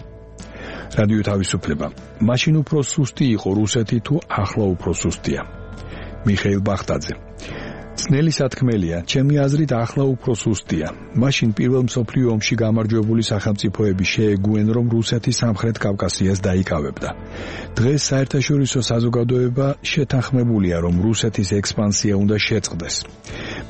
რადიო თავისუფლება. მაშინ უფრო სუსტი იყო რუსეთი თუ ახლა უფრო სუსტია. მიხეილ ბახტაძე. ძნელი სათქმელია, ჩემი აზრით ახლა უფრო სუსტია. მაშინ პირველ მსოფლიო ომში გამარჯვებული სახელმწიფოები შეეგუენ, რომ რუსეთი სამხრეთ კავკასიას დაიკავებდა. დღეს საერთაშორისო საზოგადოება შეთანხმებულია, რომ რუსეთის ექსპანსია უნდა შეწყდეს.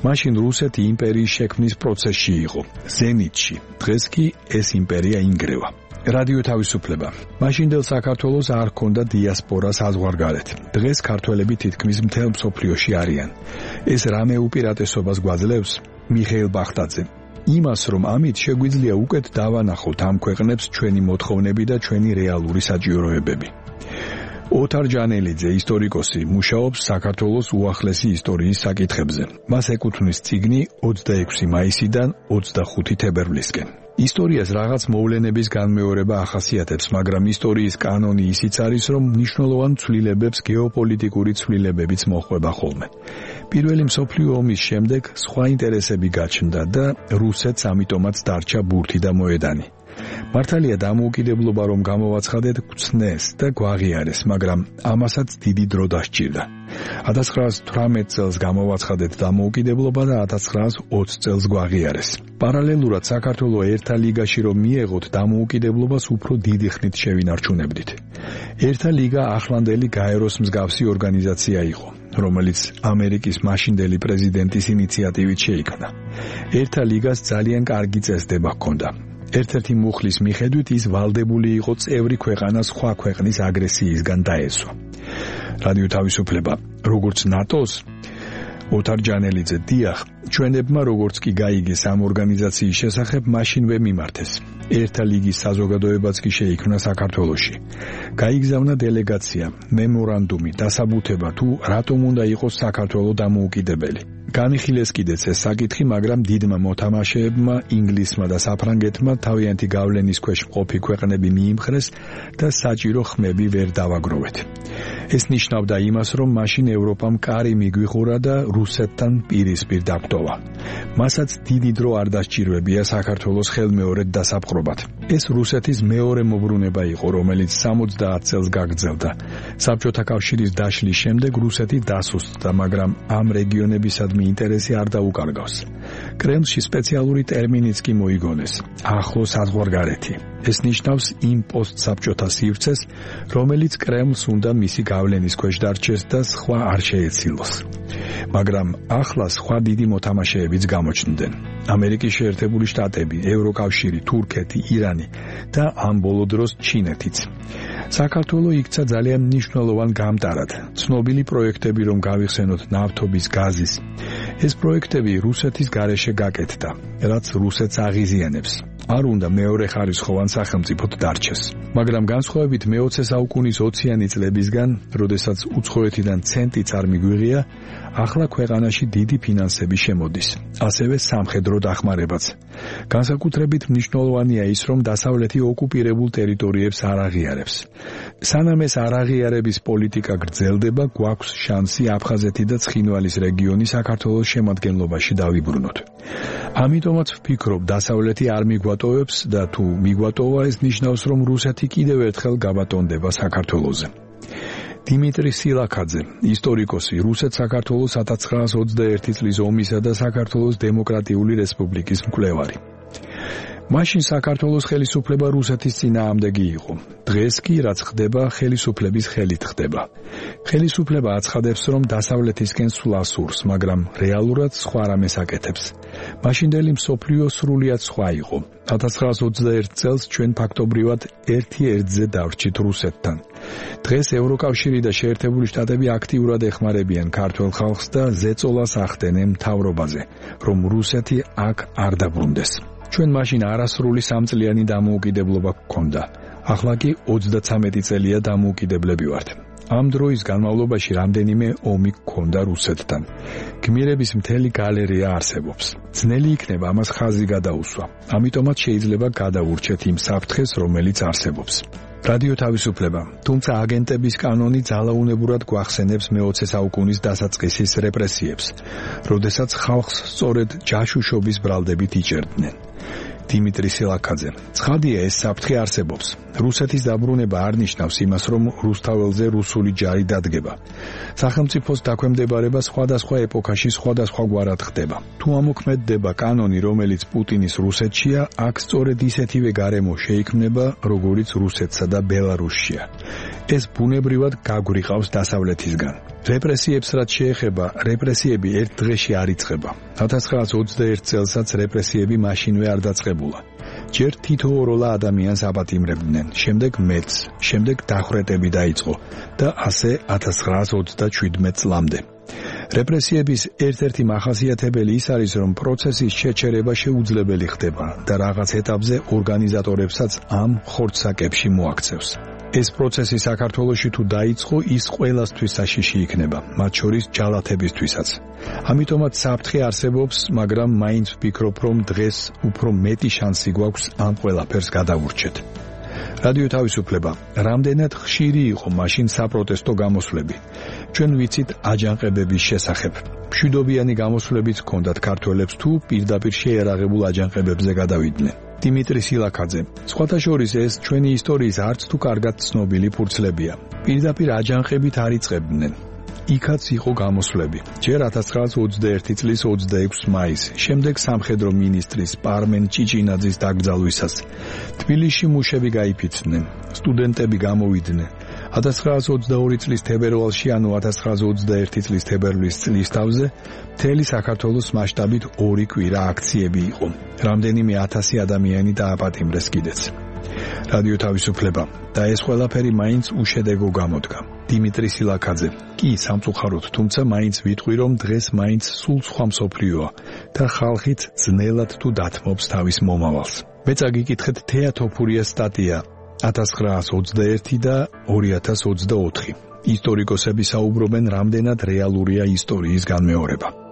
მაშინ რუსეთი იმპერიის შექმნის პროცესში იყო, ზენიტში. დღეს კი ეს იმპერია ინგრევა. რადიო თავისუფლება. მაშინდელ საქართველოს არ ჰქონდა დიასპორა საზღვარგარეთ. დღეს ქართველები თითქმის მთელ მსოფლიოში არიან. ეს რამე უპირატესობას გვაძლევს? მიხეილ ბახტაძე. იმას, რომ ამით შეგვიძლია უკეთ დავანახოთ ამ ქვეყნებს ჩვენი მოთხოვნები და ჩვენი რეალური საჭიროებები. ოთარ ჯანელიძე, ისტორიკოსი, მუშაობს საქართველოს უახლესი ისტორიის საკითხებზე. მას ეკუთვნის წიგნი ოცდაექვსი მაისიდან ოცდახუთი თებერვლისკენ. ისტორიას რაღაც მოვლენების განმეორება ახასიათებს, მაგრამ ისტორიის კანონი ისიც არის, რომ მნიშვნელოვან ცვლილებებს გეოპოლიტიკური ცვლილებებიც მოჰყვება ხოლმე. პირველი მსოფლიო ომის შემდეგ სხვა ინტერესები გაჩნდა და რუსეთს ამიტომაც დარჩა ბურთი და მოედანი. მართალია დამოუკიდებლობა რომ გამოვაცხადეთ გვცნეს და გვაღიარეს, მაგრამ ამასაც დიდი დრო დასჭირდა. ათას ცხრაასი თვრამეტ წელს გამოვაცხადეთ დამოუკიდებლობა და ათას ცხრაასი ოცი წელს გვაღიარეს. პარალელურად საქართველოს ერთა ლიგაში რომ მიეღოთ დამოუკიდებლობას უფრო დიდი ხნით შევინარჩუნებდით. ერთა ლიგა ახლანდელი გაეროს მსგავსი ორგანიზაცია იყო, რომელიც ამერიკის მაშინდელი პრეზიდენტის ინიციატივით შეიქმნა. ერთა ლიგას ძალიან კარგი წესდება ჰქონდა. ერთ-ერთი მუხლის მიხედვით ის ვალდებული იყო წევრი ქვეყანა სხვა ქვეყნის აგრესიისგან დაესვა. რადიო თავისუფლება, როგორც ნატოს, ოთარ ჯანელიძე, დიახ, ჩვენებმა როგორც კი გაიგეს ამ ორგანიზაციის შესახებ, მაშინვე მიმართეს. ერთა ლიგის საზოგადოებაც კი შეიქმნა საქართველოში. გაიგზავნა დელეგაცია, მემორანდუმი, დასაბუთება თუ რატომ უნდა იყოს საქართველოს დამოუკიდებელი. განიხილეს კიდეც ეს საკითხი, მაგრამ დიდმა მოთამაშეებმა, ინგლისმა და საფრანგეთმა თავიანთი გავლენის ქვეშ მყოფი ქვეყნები მიიმხრეს და საჭირო ხმები ვერ დავაგროვეთ. ეს ნიშნავდა იმას, რომ მაშინ ევროპამ კარი მიგვიხურა და რუსეთთან პირისპირ დაგვტოვა. მასაც დიდი დრო არ დასჭირვებია საქართველოს ხელმეორედ დასაპყრობად. ეს რუსეთის მეორე მოbrunება იყო, რომელიც სამოცდაათ წელს გაგრძელდა. საბჭოთა კავშირის დაშლის შემდეგ რუსეთი დასუსტდა, მაგრამ ამ რეგიონებისადმი ინტერესი არ დაუკარგავს. კრემლში სპეციალური ტერმინიც კი მოიგონეს, ახლო საზღვარგარეთი. ეს ნიშნავს იმ პოსტსაბჭოთა სივრცეს, რომელიც კრემლს უნდა მისი გავლენის ქვეშ დარჩეს და სხვა არ შეეცილოს. მაგრამ ახლა სხვა დიდი მოთამაშეებიც გამოჩნდნენ. ამერიკის შეერთებული შტატები, ევროკავშირი, თურქეთი, ირანი და ამ ბოლო დროს ჩინეთიც. საქართველოს იქცა ძალიან მნიშვნელოვან გამტარად. ცნობილი პროექტები რომ გავიხსენოთ ნავთობის, გაზის. ეს პროექტები რუსეთის გარეშე გაკეთდა, რაც რუსეთს აღიზიანებს. არ უნდა მეორე ხარისხოვან სახელმწიფოდ დარჩეს. მაგრამ განსხვავებით მეოცე საუკუნის ოციანი წლებისგან, როდესაც უცხოეთიდან ცენტიც არ მიგვიღია, ახლა ქვეყანაში დიდი ფინანსები შემოდის, ასევე სამხედრო დახმარებაც. განსაკუთრებით მნიშვნელოვანია ის, რომ დასავლეთი ოკუპირებულ ტერიტორიებს არ აღიარებს. სანამ ეს არაღიარების პოლიტიკა გრძელდება, გვაქვს შანსი აფხაზეთი და ცხინვალის რეგიონი საქართველოს შემადგენლობაში დავიბრუნოთ. ამიტომაც ვფიქრობ, დასავლეთი არ მიგვატოვებს და თუ მიგვატოვა, ეს ნიშნავს, რომ რუსეთი კიდევ ერთხელ გაბატონდება საქართველოზე. დიმიტრი სილაქაძე, ისტორიკოსი, რუსეთ-საქართველოს ათას ცხრაასი ოცდაერთი წლის ომისა და საქართველოს დემოკრატიული რესპუბლიკის მკვლევარი. მაშინ საქართველოს ხელისუფლება რუსეთის წინააღმდეგი იყო. დღეს კი რაც ხდება, ხელისუფლების ხელით ხდება. ხელისუფლება აცხადებს, რომ დასავლეთისკენ სვლა სურს, მაგრამ რეალურად სხვა რამეს აკეთებს. მაშინდელი მსოფლიო სრულიად სხვა იყო. ათას ცხრაასი ოცდაერთი წელს ჩვენ ფაქტობრივად ერთი ერთზე დავრჩით რუსეთთან. დღეს ევროკავშირი და შეერთებული შტატები აქტიურად ეხმარებიან ქართველ ხალხს და ზეწოლას ახდენენ მთავრობაზე, რომ რუსეთი აქ არ დაბრუნდეს. ჩვენ მაშინ არასრული სამწლიანი დამოუკიდებლობა გქონდა. ახლა კი ოცდათვრამეტი წელია დამოუკიდებლები ვართ. ამ დროის განმავლობაში რამდენიმე ომი გქონდა რუსეთთან. გმირების მთელი გალერეა არსებობს. ძნელი იქნება ამას ხაზი გადაუსვა. ამიტომაც შეიძლება გადავურჩეთ იმ საფრთხეს, რომელიც არსებობს. რადიო თავისუფლება, თუმცა აგენტების კანონი ძალაუნებურად გვახსენებს მეოცე საუკუნის დასაწყისის რეპრესიებს, როდესაც ხალხს სწორედ ჯაშუშობის ბრალდებით იჭერდნენ. დიმიტრი სილაქაძე. ცხადია, ეს საფრთხე არსებობს. რუსეთის დაბრუნება არ ნიშნავს იმას, რომ რუსთაველზე რუსული ჯარი დადგება. სახელმწიფოს დაქვემდებარება სხვადასხვა ეპოქაში სხვადასხვაგვარად ხდება. თუ ამოქმედდება კანონი, რომელიც პუტინის რუსეთშია, აქ სწორედ ისეთივე გარემო შეიქმნება, როგორიც რუსეთსა და ბელარუსშია. ეს ბუნებრივად გაგვრიყავს დასავლეთისგან. რეპრესიებს რაც შეეხება, რეპრესიები ერთ დღეში არ იწყება. ათას ცხრაასი ოცდაერთი წელსაც რეპრესიები მაშინვე არ დაწყებულა. ჯერ თითოეულა ადამიანს აპატიმრებდნენ, შემდეგ მეც, შემდეგ დახვრეტები დაიწყო და ასე ათას ცხრაასი ოცდაშვიდმეტი წლამდე. რეპრესიების ერთ-ერთი მახასიათებელი ის არის, რომ პროცესის შეჩერება შეუძლებელი ხდება და რაღაც ეტაპზე ორგანიზატორებსაც ამ ხორცსაკებში მოაქცევს. ეს პროცესი საქართველოში თუ დაიწყო, ის ყველასთვის საშიში იქნება, მათ შორის ჯალათებისთვისაც. ამიტომაც საფრთხე არსებობს, მაგრამ მაინც ვფიქრობ, რომ დღეს უფრო მეტი შანსი გვაქვს ამ ყველაფერს გადავურჩეთ. რადიო თავისუფლება, რამდენად ხშირი იყო მაშინ საპროტესტო გამოსვლები. ჩვენ ვიცით აჯანყებების შესახებ. მშვიდობიანი გამოსვლებიც ჰქონდათ ქართველებს თუ პირდაპირ შეერაღებულ აჯანყებებზე გადავიდნენ. დიმიტრი სილაქაძე. სხვათა შორის ეს ჩვენი ისტორიის არც თუ კარგად ცნობილი ფურცლებია. პირდაპირ აჯანყებით არ იწყებდნენ. იქაც იყო გამოსვლები. ჯერ ათას ცხრაასი ოცდაერთი წლის ოცდაექვსი მაისი, შემდეგ სამხედრო მინისტრის პარმენ ჭიჭინაძის დაკრძალვისას. თბილისში მუშები გაიფიცნენ, სტუდენტები გამოვიდნენ. ათას ცხრაასი ოცდაორი წლის თებერვალში, ანუ ათას ცხრაასი ოცდაერთი წლის თებერვლის წლისთავზე, მთელი საქართველოს მასშტაბით ორი კვირა აქციები იყო. რამდენიმე ათასი ადამიანი დააპატიმრეს კიდეც. რადიო თავისუფლება და ეს ყველაფერი მაინც უშედეგო გამოდგა. დიმიტრი სილაქაძე. კი, სამწუხაროდ, თუმცა მაინც ვიტყვი, რომ დღეს მაინც სულ სხვა მსოფლიოა და ხალხით ძნელად თუ დათმობს თავის მომავალს. მე წაგიკითხეთ თეა თოფურიას სტატია ათას ცხრაასი ოცდაერთი და ორი ათას ოცდაოთხი. ისტორიკოსები საუბრობენ, რამდენად რეალურია ისტორიის განმეორება.